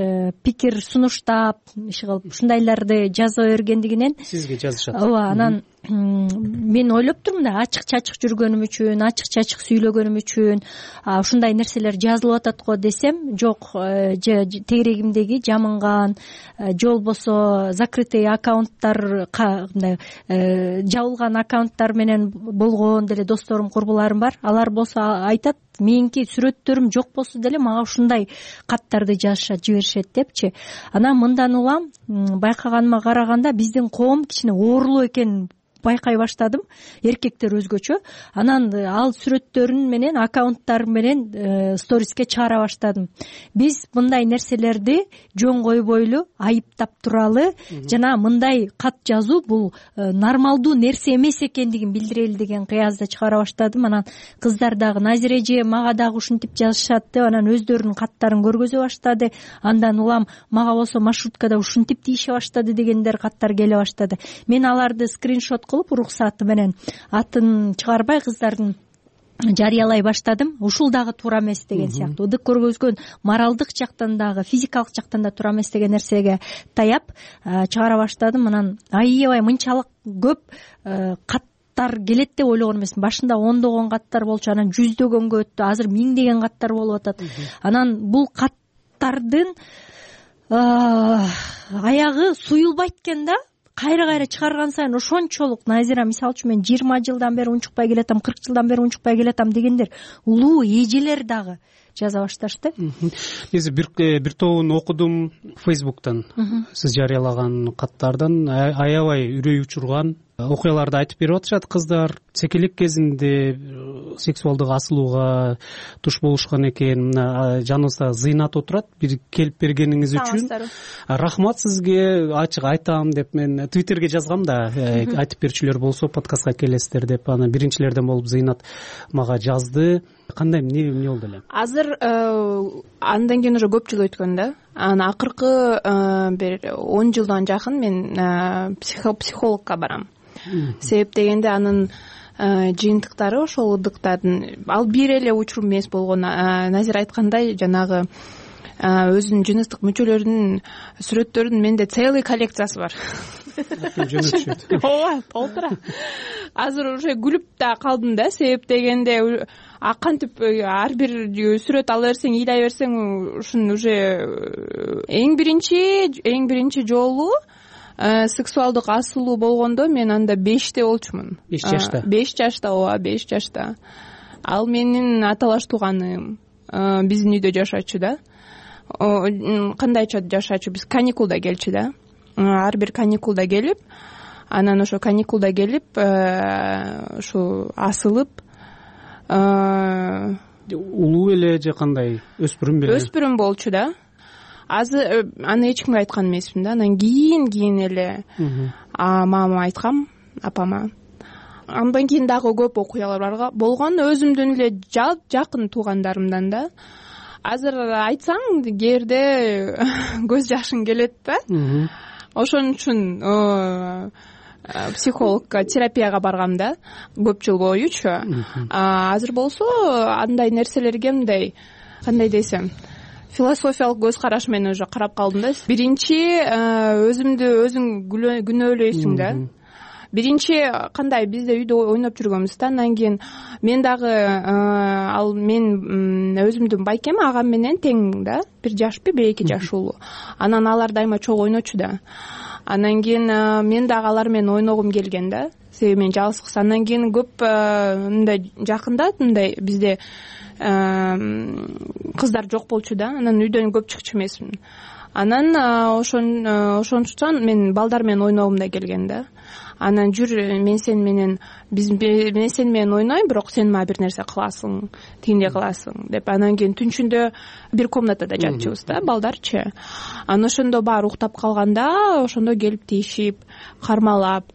пикир сунуштап, ушундайларды жаза бергендигинен сизге жазышат. Ооба, анан мен ойлоп турмун да, ачык-чачык жүргөнүм үчүн, ачык-чачык сүйлөгөнүм үчүн ушундай нерселер жазылып атат го десем, жок, тегерегимдеги жамынган, же болбосо закрытый аккаунттар, жабылган аккаунттар менен болгон деле досторум, курбуларым бар. Алар болсо айтат, меники сүрөттөрүм жок болсо деле мага ушундай каттарды жазышат, жиберишет депчи. Анан мындан улам байкаганыма караганда биздин коом кичине оорулуу экенин байкай баштадым. Эркектер өзгөчө. Анан ал сүрөттөрүн менен, аккаунттар менен сториске чыгара баштадым. Биз мындай нерселерди жөн койбойлу, айыптап туралы жана мындай кат жазуу бул нормалдуу нерсе эмес экендигин билдирели деген кыязды чыгара баштадым. Анан кыздар дагы, Назира эже мага дагы ушинтип жазышат деп, анан өздөрүнүн каттарын көргөзө баштады. Андан улам мага болсо маршруткада ушинтип тийише баштады дегендер каттар келе баштады. Мен аларды скриншот кылып, уруксаты менен атын чыгарбай кыздардын жарыялай баштадым. Ушул дагы туура эмес деген сыяктуу. Ыдык көргөзгөн моралдык жактан дагы, физикалык жактан да туура эмес деген нерсеге таяп чыгара баштадым. Анан аябай мынчалык көп каттар келет деп ойлогон эмесмин. Башында ондогон каттар болчу, анан жүздөгөнгө өттү, азыр миңдеген каттар болуп атат. Анан бул каттардын аягы суюлбайт экен да. Кайра чыгарган сайын ошончолук, Назира, мисалы үчүн мен 20 жылдан бери унчукпай келатам, 40 жылдан бери унчукпай келатам дегендер улуу эжелер дагы жаза башташты. Негизи бир тобун окудум Фейсбуктан. Сиз жарыялаган каттардан аябай үрөй учурган окуяларды айтып берип атышат кыздар. секелек кезинде сексуалдык асылууга туш болушкан экен. Мына жаныбызда Зыйнат отурат. Бир келип бергениңиз үчүн рахмат сизге. Ачык айтам деп мен Twitterге жазгам да, айтып берчүлөр болсо подкастка келесиздер деп. Анан биринчилерден болуп Зыйнат мага жазды. Кандай эмне болду эле? Азыр андан кийин уже көп жыл өткөн да. Анан акыркы бир 10 жылдан жакын мен психологко барам. Себеп дегенде анын жыйынтыктары ошол ыдыктардын ал бир эле учур эмес болгон. Назира айткандай, жанагы өзүнүн жыныстык мүчөлөрүнүн сүрөттөрүнүн менде целый коллекциясы бар. Ооба, толтура. Азыр уже күлүп да калдым да, себеп дегенде кантип ар бир сүрөт ала берсең, ыйлай берсең, ушун уже эң биринчи жолу сексуалдык асылуу болгондо мен анда 5те болчумун. 5 жашта. 5 жашта, ооба, 5 жашта. Ал менин аталаш тууганым. Биздин үйдө жашачу да. Кандайча жашачу? Биз каникулда келчү да. Ар бир каникулда келип, анан ошо каникулда келип, ушу асылып, улуу эле же кандай? Өспүрүм беле? Өспүрүм болчу да. Азыр аны эч кимге айткан эмесмин да. Анан кийин эле мамама айткам, апама. Андан кийин дагы көп окуялар болгон, өзүмдүн эле жакын туугандарымдан да. Азыр айтсаң, кээде көз жашың келет да. Ошон үчүн психологко, терапияга баргам да, көп жыл боючу. Азыр болсо андай нерселерге мындай, кандай десем, философиялык көз караш менен уже карап калдым да. Биринчи өзүң күнөөлөйсүң да. Биринчи кандай, бизде үйдө ойноп жүргөнбүз да. Андан кийин мен дагы мен өзүмдүн байкем агам менен тең да. 1 жашпы, 2 жаш улуу. Анан алар дайыма чогуу ойночу да. Андан кийин мен дагы алар менен ойногум келген да. Себеби мен жалгыз. Андан кийин көп мындай жакында мындай бизде кыздар жок болчу да. Анан үйдөн көп чыкчу эмесмин. Анан ошончон мен балдар менен ойногум да келген да. Анан жүр, мен сен менен ойнойм, бирок сен мага бир нерсе кыласың, тигиндей кыласың деп. Анан кийин түнчүндө бир комнатада жатчубуз да, балдарчы. Анан ошондо баары уктап калганда, ошондо келип тийишип, кармалап,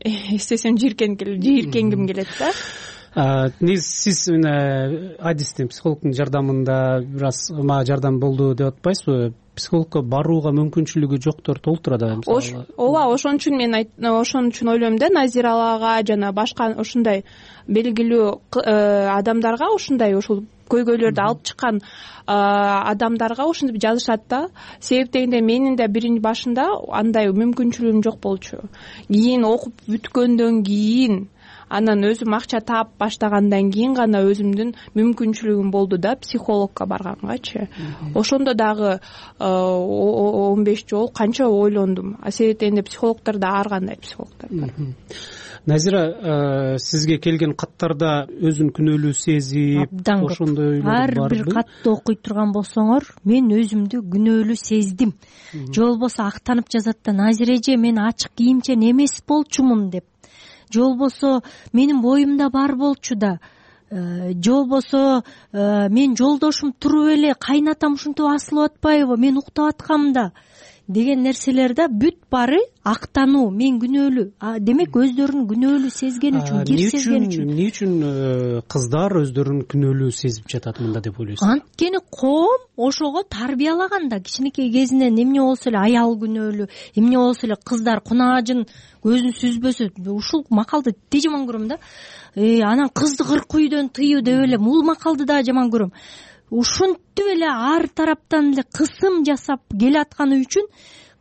эстесем жийиркенгим келет да. Сиз адистин, психологдун жардамында бир аз мага жардам болду деп атпайсызбы? Психологко барууга мүмкүнчүлүгү жоктор толтура да. Ооба, ошон үчүн ойлойм да, Назиралага жана башка ушундай белгилүү адамдарга, ушул көйгөйлөрдү алып чыккан адамдарга ушинтип жазышат да. Себеп дегенде менин да биринчи башында андай мүмкүнчүлүгүм жок болчу. Кийин окуп бүткөндөн кийин, анан өзүм акча таап баштагандан кийин гана өзүмдүн мүмкүнчүлүгүм болду да психологко баргангачы. Ошондо дагы 15 жол канча ойлондум. Себеп дегенде психологдор да ар кандай психологдор бар. Назира, сизге келген каттарда өзүн күнөөлүү сезип, ошондой ар бир катты окуй турган болсоңор, мен өзүмдү күнөөлүү сездим. Же болбосо актанып жазат да, Назира эже, мен ачык кийимчен эмес болчумун деп. Же болбосо менин боюмда бар болчу да. Же болбосо мен жолдошум туруп эле кайнатам ушинтип асылып атпайбы, мен уктап аткам да деген нерселерде бүт баары актануу, мен күнөөлүү. Демек өздөрүн күнөөлүү сезген үчүн, кир сезген үчүн. Эмне үчүн кыздар өздөрүн күнөөлүү сезип жатат мында деп ойлойсуз? Анткени коом ошого тарбиялаган да. Кичинекей кезинен эмне болсо эле аял күнөөлүү, эмне болсо эле кыздар кунаажын көзүн сүзбөсө, ушул макалды тээ жаман көрөм да. Анан кызды 40 үйдөн тыюу деп эле бул макалды да жаман көрөм. Ушинтип эле ар тараптан эле кысым жасап келатканы үчүн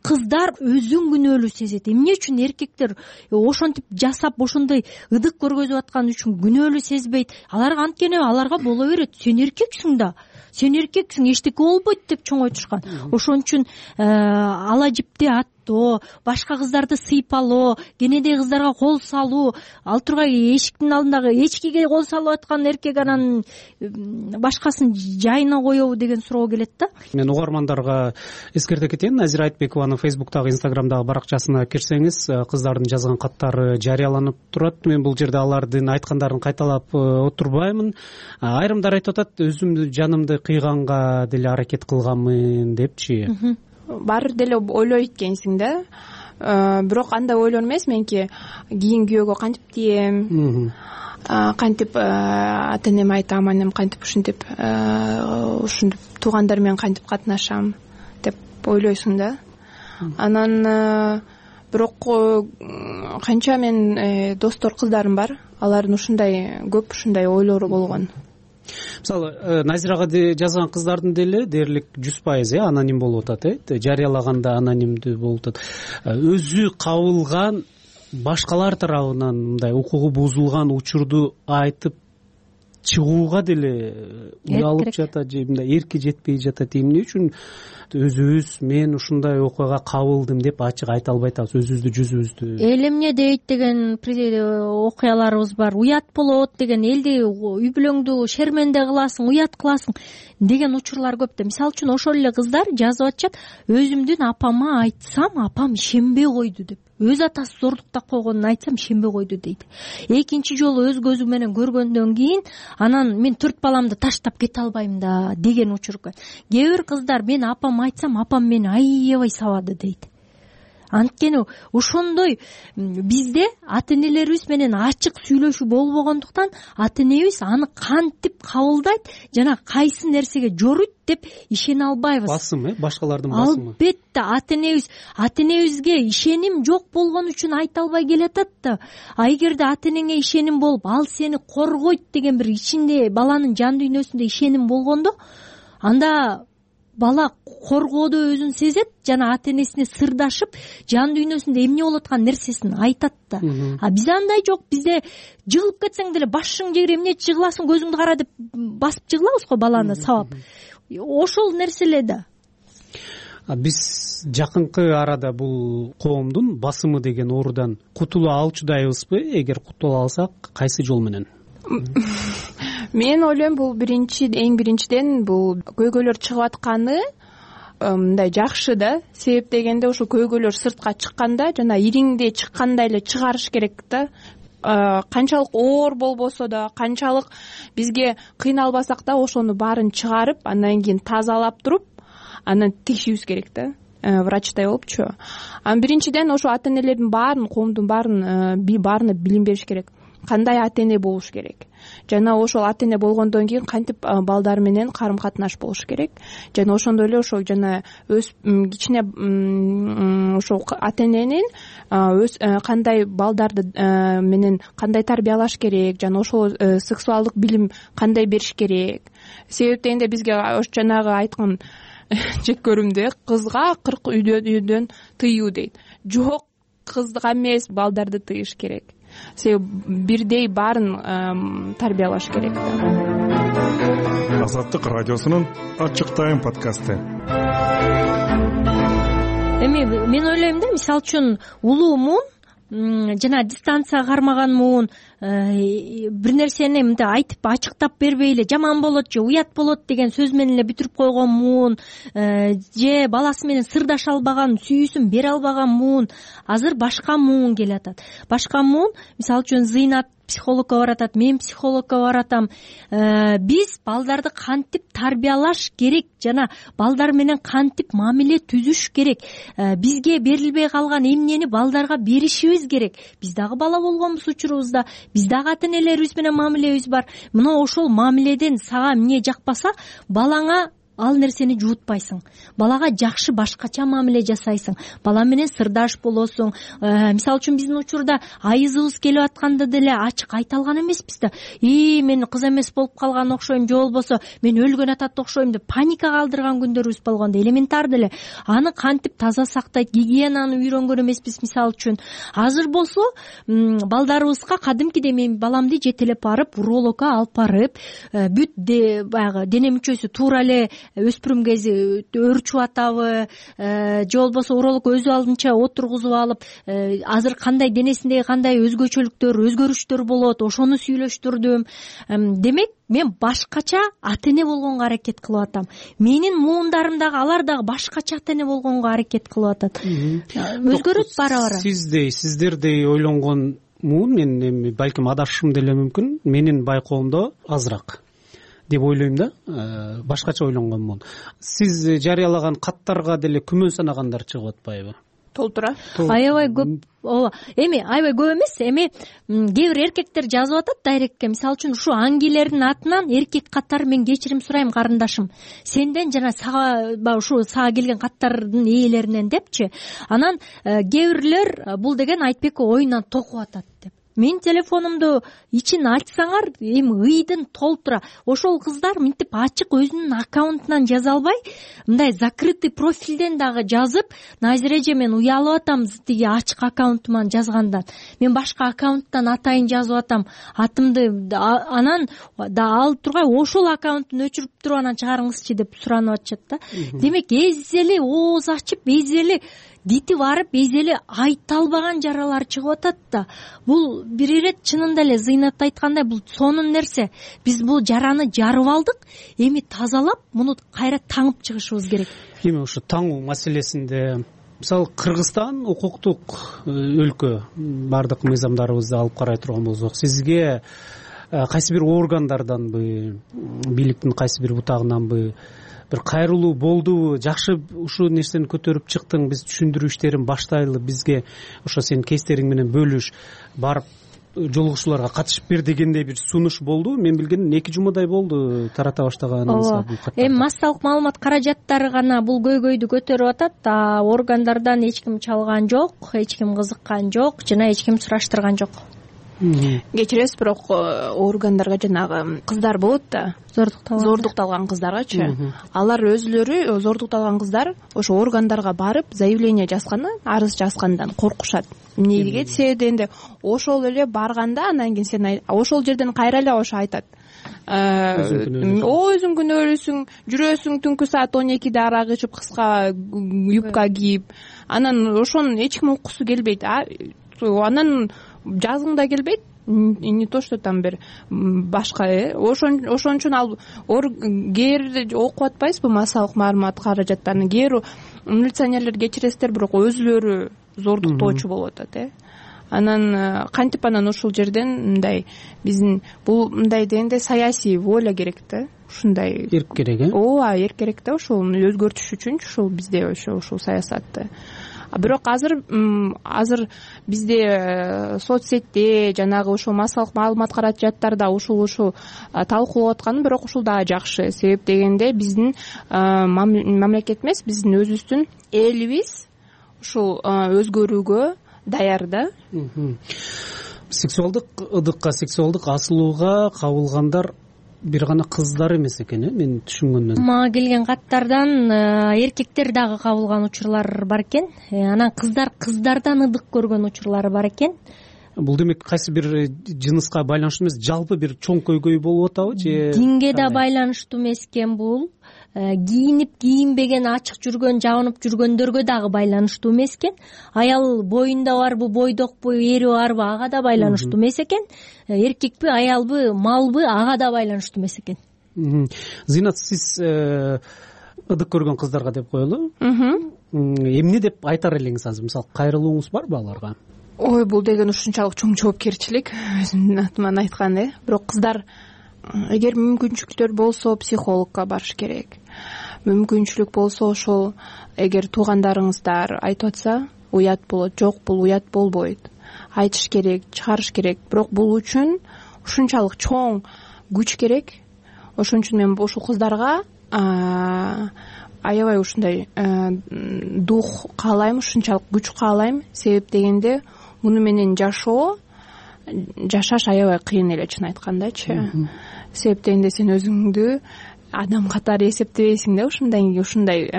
кыздар өзүн күнөөлүү сезет. Эмне үчүн эркектер ошентип жасап, ошондой ыдык көргөзүп атканы үчүн күнөөлүү сезбейт? Аларга анткени аларга боло берет. Сен эркексиң да. Сен эркексиң, эчтеке болбойт деп чоң айтышкан. Ошон үчүн ала жипти ат токтоо, башка кыздарды сыйпалоо, кенедеги кыздарга кол салуу, ал тургай эшиктин алдындагы эчкиге кол салып аткан эркек анан башкасын жайына коебу деген суроо келет да. Мен угармандарга эскерте кетейин, Назира Айтбекованын Facebook'тагы, Instagram'дагы баракчасына кирсеңиз, кыздардын жазган каттары жарыяланып турат. Мен бул жерде алардын айткандарын кайталап отурбаймын. Айрымдар айтып атат, өзүмдү жанымды кыйганга деле аракет кылганмын депчи. Баары деле ойлойт экенсиң да. Бирок андай ойлор эмес, менки кийин күйөөгө кантип тием, кантип ата энеме айтам, анем кантип ушинтип туугандар менен кантип катнашам деп ойлойсуң да. Анан бирок канча мен достор кыздарым бар, алардын ушундай көп ушундай ойлору болгон. Мисалы, Назирага жазган кыздардын деле дээрлик 100% аноним болуп атат, жарыялаганда анонимдүү болуп атат. Өзү кабылган башкалар тарабынан мындай укугу бузулган учурду айтып чыгууга деле уялып жатат же мындай эрки жетпей жатат. Эмне үчүн өзүбүз мен ушундай окуяга кабылдым деп ачык айта албай атабыз, өзүбүздү жүзүбүздү? Эл эмне дейт деген окуяларыбыз бар. Уят болот деген, элди үй бүлөңдү шерменде кыласың, уят кыласың деген учурлар көп да. Мисалы үчүн ошол эле кыздар жазып атышат, өзүмдүн апама айтсам, апам ишенбей койду деп. Өз атасы зордуктап койгонун айтсам ишенбей койду дейт. Экинчи жолу өз көзүм менен көргөндөн кийин анан мен 4 баламды таштап кете албайм да деген учур. Кээ бир кыздар мен апам айтсам, апам мени аябай сабады дейт. Анткени ошондой бизде ата энелерибиз менен ачык сүйлөшүү болбогондуктан ата энебиз аны кантип кабылдайт жана кайсы нерсеге жоруйт деп ишене албайбыз. Басым, башкалардын басымы. Албетте ата энебизге ишеним жок болгон үчүн айта албай келатат да. Эгерде ата энеңе ишеним болуп, ал сени коргойт деген бир ичинде баланын жан дүйнөсүндө ишеним болгондо, анда бала коргоодо өзүн сезет жана ата энесине сырдашып, жан дүйнөсүндө эмне болуп аткан нерсесин айтат да. Бизде андай жок. Бизде жыгылып кетсең деле башың жегире эмне жыгыласың, көзүңдү кара деп басып жыгылабыз го баланы сабап. Ошол нерселе да. Биз жакынкы арада бул коомдун басымы деген оорудан кутула алчудайбызбы? Эгер кутула алсак, кайсы жол менен? Мен ойлойм, бул эң биринчиден бул көйгөйлөр чыгып атканы мындай жакшы да. Себеп дегенде ошо көйгөйлөр сыртка чыкканда жана ириңде чыккандай эле чыгарыш керек да. Канчалык оор болбосо да, канчалык бизге кыйналбасак да, ошону баарын чыгарып, андан кийин тазалап туруп, анан текшибиз керек да. Врачтай болупчу. Биринчиден ошо ата энелердин баарын, коомдун баарына билим бериш керек. Кандай ата эне болуш керек. Жана ошол ата эне болгондон кийин кантип балдар менен карым катнаш болуш керек. Жана ошондой эле ошо жана өз кичине ошо ата эненин өз кандай балдарды менен кандай тарбиялаш керек, жана ошол сексуалдык билим кандай бериш керек. Себеп дегенде бизге жанагы айткан жеккөрүмдө кызга 40 үйдөн тыюу дейт. Жок, кызга эмес, балдарды тыйыш керек. Себеп бирдей баарын тарбиялаш керек. Азаттык радиосунун ачык тайм подкасты. Эми мен ойлойм да, мисалы үчүн улуу муун жана дистанция кармаган муун бир нерсени мындай айтып ачыктап бербей эле жаман болот же уят болот деген сөз менен эле бүтүрүп койгон муун же баласы менен сырдаша албаган, сүйүүсүн бере албаган муун азыр башка муун келатат. Башка муун мисалы үчүн Зыйнат психологко баратат, мен психологко баратам. Биз балдарды кантип тарбиялаш керек жана балдар менен кантип мамиле түзүш керек. Бизге берилбей калган эмнени балдарга беришибиз керек. Биз дагы бала болгонбуз учурубузда, биз дагы ата энелерибиз менен мамилебиз бар. Мына ошол мамиледен сага эмне жакпаса, балаңа ал нерсени жуутпайсың. Балага жакшы башкача мамиле жасайсың. Бала менен сырдаш болосуң. Мисалы үчүн биздин учурда айызыбыз келип атканда деле ачык айта алган эмеспиз да. Мен кыз эмес болуп калган окшойм, же болбосо мен өлгөн атат окшойм деп паника калтырган күндөрүбүз болгондо элементар деле. Аны кантип таза сактайт, гигиенаны үйрөнгөн эмеспиз мисалы үчүн. Азыр болсо балдарыбызга кадимкидей мен баламды жетелеп барып, урологко алып барып, бүт баягы дене мүчөсү туура эле өспүрүм кези өөрчүп атабы же болбосо уролог өзү алдынча отургузуп алып азыр кандай денесиндеги кандай өзгөчөлүктөр өзгөрүштөр болот ошону сүйлөштүрдүм. Демек мен башкача ата эне болгонго аракет кылып атам. Менин муундарым дагы алар дагы башкача ата эне болгонго аракет кылып атат. Өзгөрөт бара бара. Сиздердей ойлонгон муун мен эми балким адашышым деле мүмкүн. Менин байкоомдо азыраак деп ойлойм да. Башкача ойлонгонмун. Сиз жарыялаган каттарга деле күмөн санагандар чыгып атпайбы? Толтура. Аябай көп. Ооба. Эми аябай көп эмес. Эми кээ бир эркектер жазып атат дайректке. Мисалы үчүн ушу аңгилердин атынан эркек катары мен кечирим сурайм карындашым. Сенден жана сага ушу сага келген каттардын ээлеринен депчи. Анан кээ бирлер бул деген Айтбек оюнан токуп атат деп. Мен телефонумду ичин ачсаңар эми ыйдын толтура. Ошол кыздар мынтип ачык өзүнүн аккаунтунан жаза албай, мындай закрытый профилден дагы жазып, Назира эже мен уялып атам тиги ачык аккаунтуман жазгандан. Мен башка аккаунттан атайын жазып атам. Атымды анан да алып тургай ошол аккаунттун өчүрүп туруп анан чыгарыңызчы деп суранып атышат да. Демек эзели ооз ачып, эзели дити барып, эзели айта албаган жаралар чыгып атат да. Бул бир ирет чынында эле Зыйнат айткандай бул сонун нерсе. Биз бул жараны жарып алдык, эми тазалап, муну кайра таңып чыгышыбыз керек. Эми ушу таңуу маселесинде мисалы Кыргызстан укуктук өлкө, бардык мыйзамдарыбызды алып карай турган болсок, сизге кайсы бир органдарданбы, бийликтин кайсы бир бутагынанбы бир кайрылуу болдубу? Жакшы ушул нерсени көтөрүп чыктың, биз түшүндүрүү иштерин баштайлы, бизге ошо сенин кейстериң менен бөлүш, барып жолугушууларга катышып бер дегендей бир сунуш болду. Мен билгеним 2 жумадай болду тарата баштаганыңызга бул каттарды. Эми массалык маалымат каражаттары гана бул көйгөйдү көтөрүп атат. Органдардан эч ким чалган жок, эч ким кызыккан жок, жана эч ким сураштырган жок. Кечиресиз, бирок органдарга жанагы кыздар болот да, зордукталган кыздаргачы. Алар өзүлөрү зордукталган кыздар ошо органдарга барып заявление жазганы, арыз жазгандан коркушат. Эмнеге десеңде, ошол эле барганда анан кийин сен ошол жерден кайра эле ошо айтат. Өзүң күнөөлүүсүң, жүрөсүң түнкү саат 12де арак ичип, кыска юбка кийип, анан ошону эч ким уккусу келбейт. Анан жазгың да келбейт, не то что там бир башка. Ошон үчүн ал кээ окуп атпайсызбы массалык маалымат каражаттарын? Кээ милиционерлер кечиресиздер, бирок өзүлөрү зордуктоочу болуп атат. Анан кантип анан ушул жерден мындай биздин бул мындай дегенде саясий воля керек да. Ушундай эрк керек, ооба, эрк керек да. Ошол өзгөртүш үчүн ушул бизде ушул саясатты. Бирок азыр бизде соцсетте жанагы ушул массалык маалымат каражаттарда ушул талкуулап атканы, бирок ушул дагы жакшы. Себеп дегенде биздин мамлекет эмес, биздин өзүбүздүн элибиз ушул өзгөрүүгө даяр да. Сексуалдык ыдыкка, сексуалдык асылууга кабылгандар бир гана кыздар эмес экен, мен түшүнгөндөн. Мага келген каттардан эркектер дагы кабылган учурлар бар экен. Анан кыздардан ыдык көргөн учурлары бар экен. Бул демек кайсы бир жыныска байланыштуу эмес, жалпы бир чоң көйгөй болуп атабы же? Динге да байланыштуу эмес экен бул. Кийинип кийинбеген, ачык жүргөн, жабынып жүргөндөргө дагы байланыштуу эмес экен. Аял боюнда барбы, бойдокпу, эри барбы, ага да байланыштуу эмес экен. Эркекпи, аялбы, малбы, ага да байланыштуу эмес экен. Зыйнат, сиз ыдык көргөн кыздарга деп коелу. Эмне деп айтар элеңиз азыр? Мисалы, кайрылууңуз барбы аларга? Ой, бул деген ушунчалык чоң жоопкерчилик, өзүмдүн атыман айтканда. Бирок кыздар эгер мүмкүнчүлүктөр болсо психологко барыш керек. Мүмкүнчүлүк болсо ошол эгер туугандарыңыздар айтып атса уят болот. Жок, бул уят болбойт. Айтыш керек, чыгарыш керек. Бирок бул үчүн ушунчалык чоң күч керек. Ошон үчүн мен ушул кыздарга аябай ушундай дух каалайм, ушунчалык күч каалайм. Себеп дегенде муну менен жашаш аябай кыйын эле, чын айткандачы. Себеп дегенде сен өзүңдү адам катары эсептебейсиң да, ушундай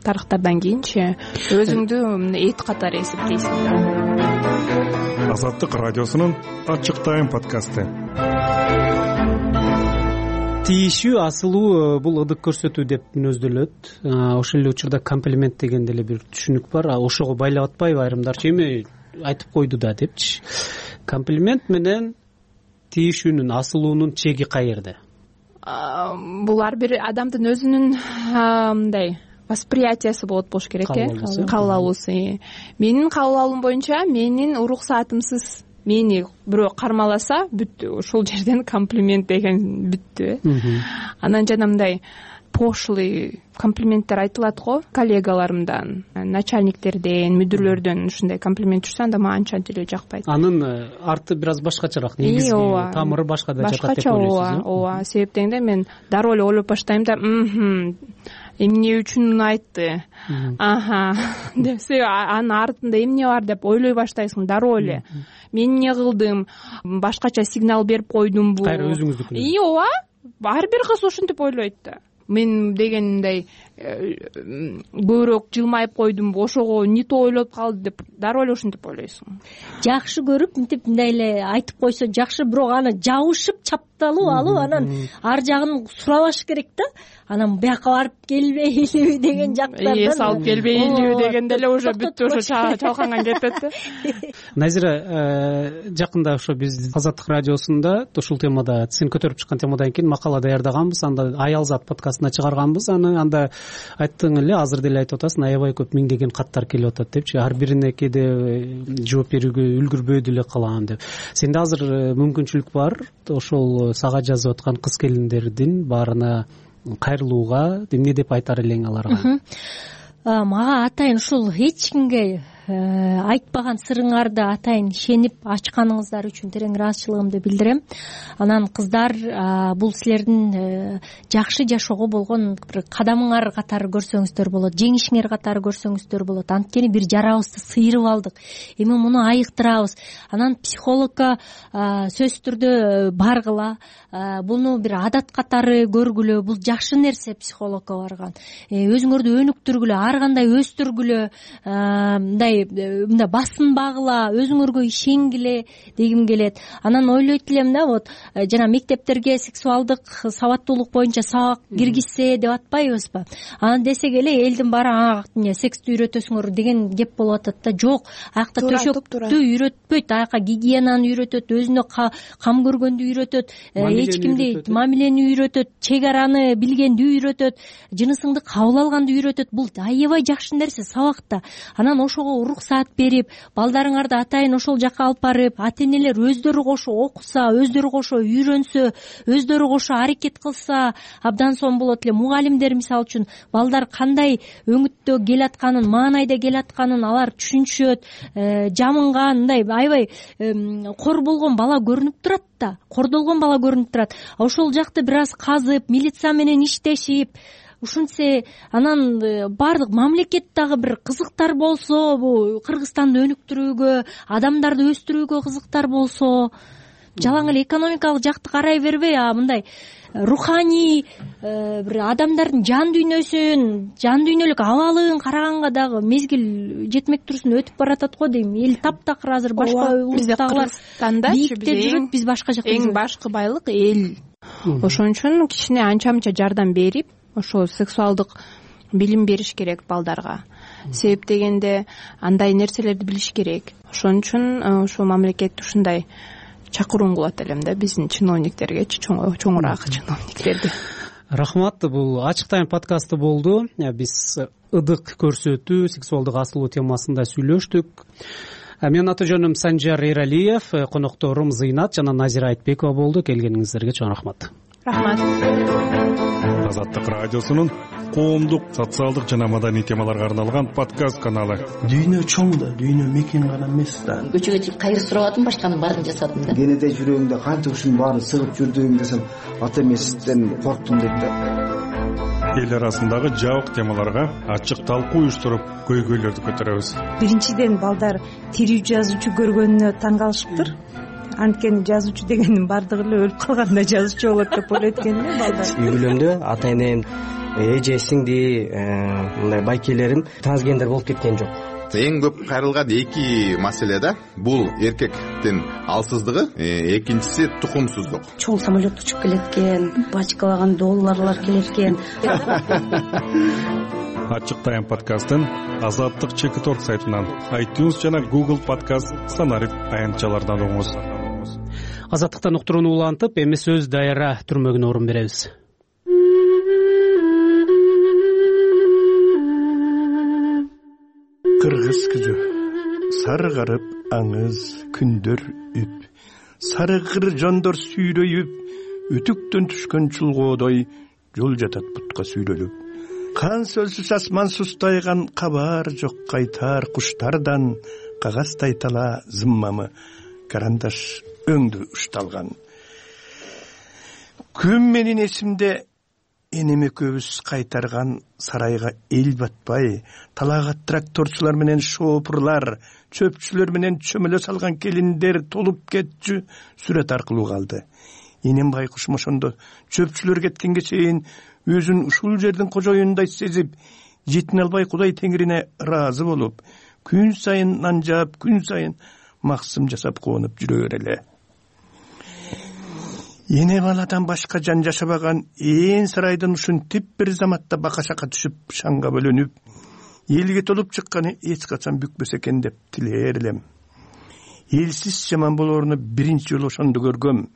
тарыхтардан кийинчи өзүңдү эт катары эсептейсиң да. Азаттык радиосунун ачык тайм подкасты. тиешүү асылуу бул ыдык көрсөтүү деп мүнөздөлөт. Ошол эле учурда комплимент деген деле бир түшүнүк бар. Ошого байлап атпайбы айрымдарчы, эми айтып койду да депчи. Комплимент менен тиешүүнүн, асылуунун чеги каерде? Бул ар бир адамдын өзүнүн мындай восприятиясы болуш керек, кабыл алуусу. Менин кабыл алуум боюнча, менин урук саатымсыз мени бирөө кармаласа бүттү, ошол жерден комплимент деген бүттү. Анан жана мындай пошлый комплименттер айтылат го коллегаларымдан, начальниктерден, мүдүрлөрдөн ушундай комплимент жүрсө, анда мага анча деле жакпайт. Анын арты бир аз башкачараак, негизги тамыры башка да жакат деп ойлойсуз. Ооба, себеп дегенде мен дароо эле ойлоп баштайм да, эмне үчүн айтты, деп, анын артында эмне бар деп ойлой баштайсың дароо эле. Мен эмне кылдым, башкача сигнал берип койдумбу? Кайра өзүңүздүкү. Ооба, ар бир кыз ушинтип ойлойт да. Мен дегендай көбүрөөк жылмайып койдумбу, ошого не то ойлоп калды деп дароо эле ушинтип ойлойсуң. Жакшы көрүп мынтип мындай эле айтып койсо жакшы, бирок аны жабышып чапталуу алып анан ар жагын сурабаш керек да. Анан бияка барып келбейлиби деген жактардан. Эс алып келбейлиби дегенде эле уже бүттү, ошо чалканган кетет да. Назира, жакында ошо биз Азаттык радиосунда ушул темада, сен көтөрүп чыккан темадан кийин макала даярдаганбыз, анда Аялзат подкастына чыгарганбыз. Анда айттың эле, азыр деле айтып атасың, аябай көп миңдеген каттар келип атат депчи. Ар бирине кээде жооп берүүгө үлгүрбөй деле калам деп. Сенде азыр мүмкүнчүлүк бар ошол сага жазып аткан кыз келиндердин баарына кайрылууга, эмне деп айтар элең аларга? Мага атайын ушул эч кимге айтпаган сырыңарды атайын ишенип ачканыңыздар үчүн терең ыраазычылыгымды билдирем. Анан кыздар, бул силердин жакшы жашоого болгон бир кадамыңар катары көрсөңүздөр болот, жеңишиңер катары көрсөңүздөр болот. Анткени бир жарабызды сыйрып алдык, эми муну айыктырабыз. Анан психологко сөзсүз түрдө баргыла, буну бир адат катары көргүлө, бул жакшы нерсе психологко барган. Өзүңөрдү өнүктүргүлө, ар кандай өстүргүлө, мындай басынбагыла, өзүңөргө ишенгиле дегим келет. Анан ойлойт элем да, вот жана мектептерге сексуалдык сабаттуулук боюнча сабак киргизсе деп атпайбызбы? Анан десек эле элдин баары эмне секстти үйрөтөсүңөр деген кеп болуп атат да. Жок, аякта төшөктү үйрөтпөйт, аяка гигиенаны үйрөтөт, өзүнө кам көргөндү үйрөтөт, эч кимди мамилени үйрөтөт, чек араны билгенди үйрөтөт, жынысыңды кабыл алганды үйрөтөт. Бул аябай жакшы нерсе сабакта. Анан ошого уруксаат берип, балдарыңарды атайын ошол жака алып барып, ата-энелер өздөрү кошо окуса, өздөрү кошо үйрөнсө, өздөрү кошо аракет кылса абдан сонун болот эле. Мугалимдер мисалы үчүн балдар кандай өңүттө келатканын, маанайда келатканын алар түшүнүшөт, жамынган, мындай аябай кор болгон бала көрүнүп турат да, кордолгон бала көрүнүп турат. Ошол жакты бир аз казып, милиция менен иштешип, ушинтсе анан баардык мамлекет дагы бир кызыктар болсо, бул Кыргызстанды өнүктүрүүгө, адамдарды өстүрүүгө кызыктар болсо, жалаң эле экономикалык жакты карай бербей, мындай руханий бир адамдардын жан дүйнөлүк абалын караганга дагы мезгил жетмек турсун, өтүп баратат го дейм. Эл таптакыр азыр башка улустагылар биикте жүрөт, биз башка жакта жүрөбүз. Эң башкы байлык эл. Ошон үчүн кичине анча-мынча жардам берип, ошо сексуалдык билим бериш керек балдарга. Себеп дегенде андай нерселерди билиш керек. Ошон үчүн ошо мамлекет ушундай чакыруун кылат элем да биздин чиновниктерге, чоңураак чиновниктерди. Рахмат. Бул Ачык Тайм подкасты болду. Биз ыдык көрсөтүү, сексуалдык асылуу темасында сүйлөштүк. Менин аты жөнүм Санжар Эралиев, конокторум Зыйнат жана Назира Айтбекова болду. Келгениңиздерге чоң рахмат. Рахмат. Азаттык радиосунун коомдук, социалдык жана маданий темаларга арналган подкаст каналы. Дүйнө чоң да, дүйнө мекен гана эмес да. Көчөгө чыгып кайыр сурабадым, башканын баарын жасадым да. Кенеде жүрөгүңдө канча ушунун баарын сыгып жүрдүң десем, ата эмесизден корктум дейт да. Эл арасындагы жабык темаларга ачык талкуу уюштуруп, көйгөйлөрдү көтөрөбүз. Биринчиден балдар тирүү жазуучу көргөнүнө таң калышыптыр. Анткени жазуучу дегендин баардыгы эле өлүп калганда жазуучу болот деп ойлойт экен эле балдар. Үй бүлөмдө ата энем, эже, сиңди, мындай байкелерим трансгендер болуп кеткен жок. Эң көп кайрылган эки маселе да, бул эркек биздин алсыздыгы, экинчиси тукумсуздук. Чоң самолет учуп келеткен, бачкалаган долларлар келеткен. Ачык Тайм подкастын Азаттык Чекиторг сайтынан, iTunes жана Google Podcast стандарт аянтчалардан угуңуз. Азаттыктан уктурууну улантып, эми сөз дайра түрмөгүнө орун беребиз. Кыргыз күзү сарыгарып аңыз күндөр үп, сарыгыр жондор сүйрөйүп, үтүктөн түшкөн чулгоодой жол жатат бутка сүйрөлүп. Кан сөлсүз асман сустайган, кабар жок кайтар куштардан, кагаздай тала зыммамы карандаш өңдү ушталган. Күн менин эсимде энем экөөбүз кайтарган сарайга эл батпай, талаага тракторчулар менен шоопурлар, чөпчүлөр менен чөмөлө салган келиндер толуп кетчү сүрөт аркылуу калды. Энем байкуш ошондо чөпчүлөр кеткенге чейин өзүн ушул жердин кожоюндай сезип, жетине албай Кудай Теңирине ыраазы болуп, күн сайын нан жаап, күн сайын максым жасап кубанып жүрө береле. Эне баладан башка жан жашабаган ээн сарайдын ушинтип бир заматта бака-шака түшүп, шаңга бөлөнүп, элге толуп чыкканы эч качан бүкпөсө экен деп тилээр элем. Элсиз жаман болооруну биринчи жолу ошондо көргөм.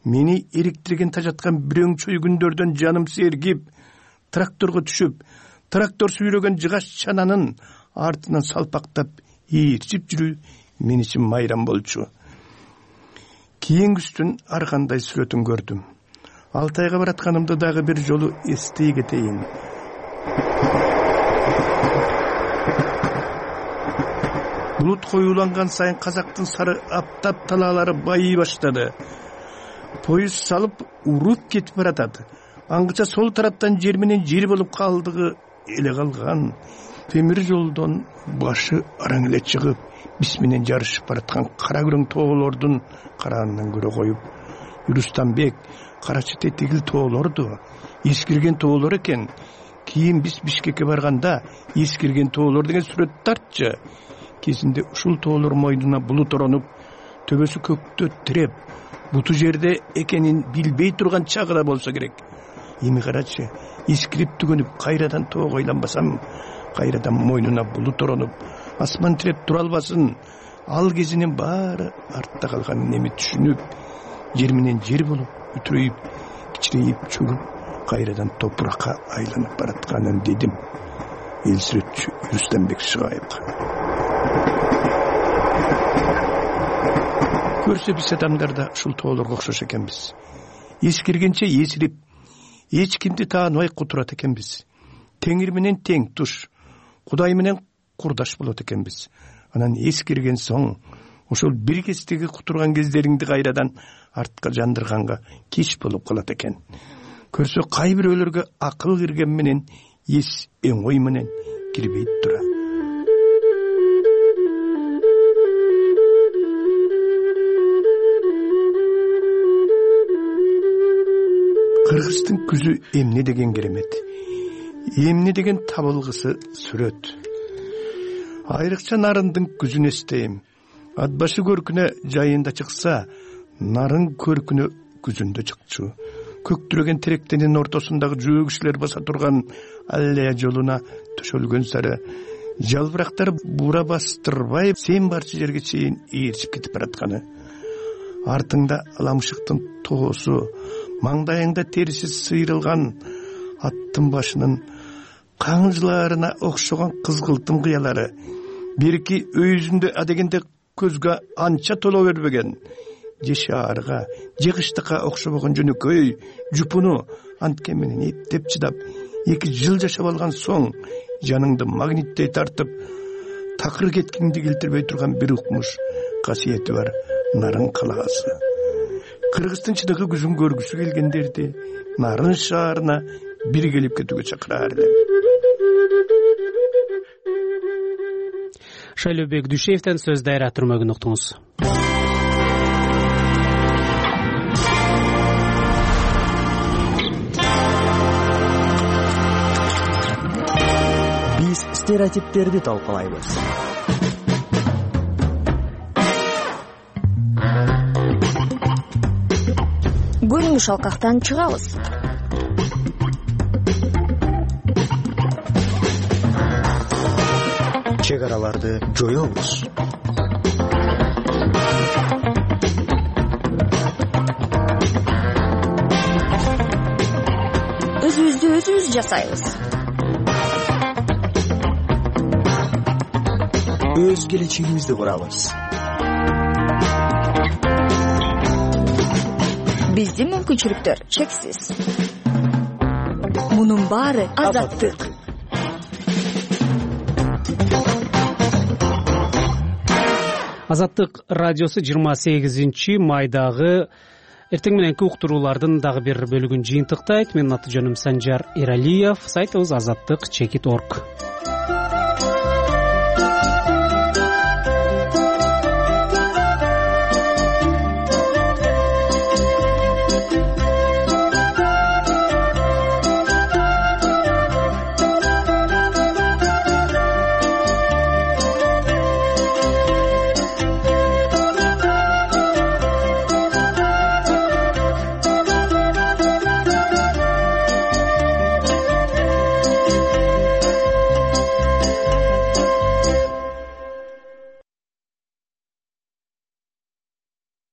Мени эриктирген тажаткан бирөөң чөй күндөрдөн жаным сергип, тракторго түшүп, трактор сүйрөгөн жыгаш чананын артынан салпактап ээрчип жүрүү мен үчүн майрам болчу. Кийингүстүн ар кандай сүрөтүн көрдүм. Алтайга баратканымды дагы бир жолу эстей кетейин. Булут коюланган сайын казактын сары аптап талаалары байый баштады. Поезд салып уруп кетип баратат. Аңгыча сол тараптан жер менен жер болуп калдыгы эле калган. Темир жолдон башы араң эле чыгып, биз менен жарышып бараткан кара күрөң тоолордун караанынан көрө коюп, Юрустанбек, Карачы тегил тоолорду, эскирген тоолор экен. Кийин биз Бишкекке барганда эскирген тоолор деген сүрөт тартчы. Кезинде ушул тоолор мойнуна булут оронуп, төбөсү көктө тиреп, буту жерде экенин билбей турган чагы да болсо керек. Эми карачы, эскирип түгөнүп кайрадан тоого айланбасам, кайрадан мойнуна булут оронуп, асман тиреп тура албасын. Ал кезинин баары артта калганын эми түшүнүп, жер менен жер болуп, үтүрөйүп, кичирейип, чөгүп, кайрадан топуракка айланып баратканын дедим. Эл сүрөтчү Юрустанбек Шыгаев. Көрсө биз адамдар да ушул тоолорго окшош экенбиз. Эскиргенче эсирип, эч кимди тааныбай кутурат экенбиз. Теңир менен тең туш, Кудай менен курдаш болот экенбиз. Анан эскирген соң, ошол бир кездеги кутурган кездериңди кайрадан артка жандырганга кеч болуп калат экен. Көрсө кай бирөөлөргө акыл кирген менен эс оңой менен кирбей тура. Кыргыздын күзү эмне деген керемет, эмне деген табылгысы сүрөт. Айрыкча нарындын күзүн эстейм. Ат башы көркүнө жайында чыкса, нарын көркүнө күзүндө чыкчу. Көктүрөгөн теректенин ортосундагы жөө кишилер баса турган аллея жолуна төшөлгөн сары жалбырактар бура бастырбай сен барчы жерге чейин ээрчип кетип баратканы. Артыңда аламшыктын тоосу, маңдайыңда териси сыйрылган аттын башынын каңжыларына окшогон кызгылтым кыялары, берки өйүзүндө адегенде көзгө анча толо бербеген, же шаарга, же кыштыкка окшобогон жөнөкөй жупуну анткен менен эптеп чыдап, 2 жыл жашап алган соң жаныңды магниттей тартып, такыр кеткиңди келтирбей турган бир укмуш касиети бар нарын калаасы. Кыргыздын чыныгы күзүн көргүсү келгендерди нарын шаарына бир келип кетүүгө чакыраар элем. Шайлообек Дүйшеевден сөз дайра түрмөгүн уктуңуз. Биз стереотиптерди талкуулайбыз. шалкактан чыгабыз. Чек араларды жоёбуз. Өзүбүздү өзүбүз жасайбыз. Өз келечегибизди курабыз. Биздин мүмкүнчүлүктөр чексиз. Мунун баары азаттык. Азаттык радиосу 28 майдагы эртең мененки уктуруулардын дагы бир бөлүгүн жыйынтыктайт. Менин аты жөнүм Санжар Эралиев. Сайтыбыз azаттык.org.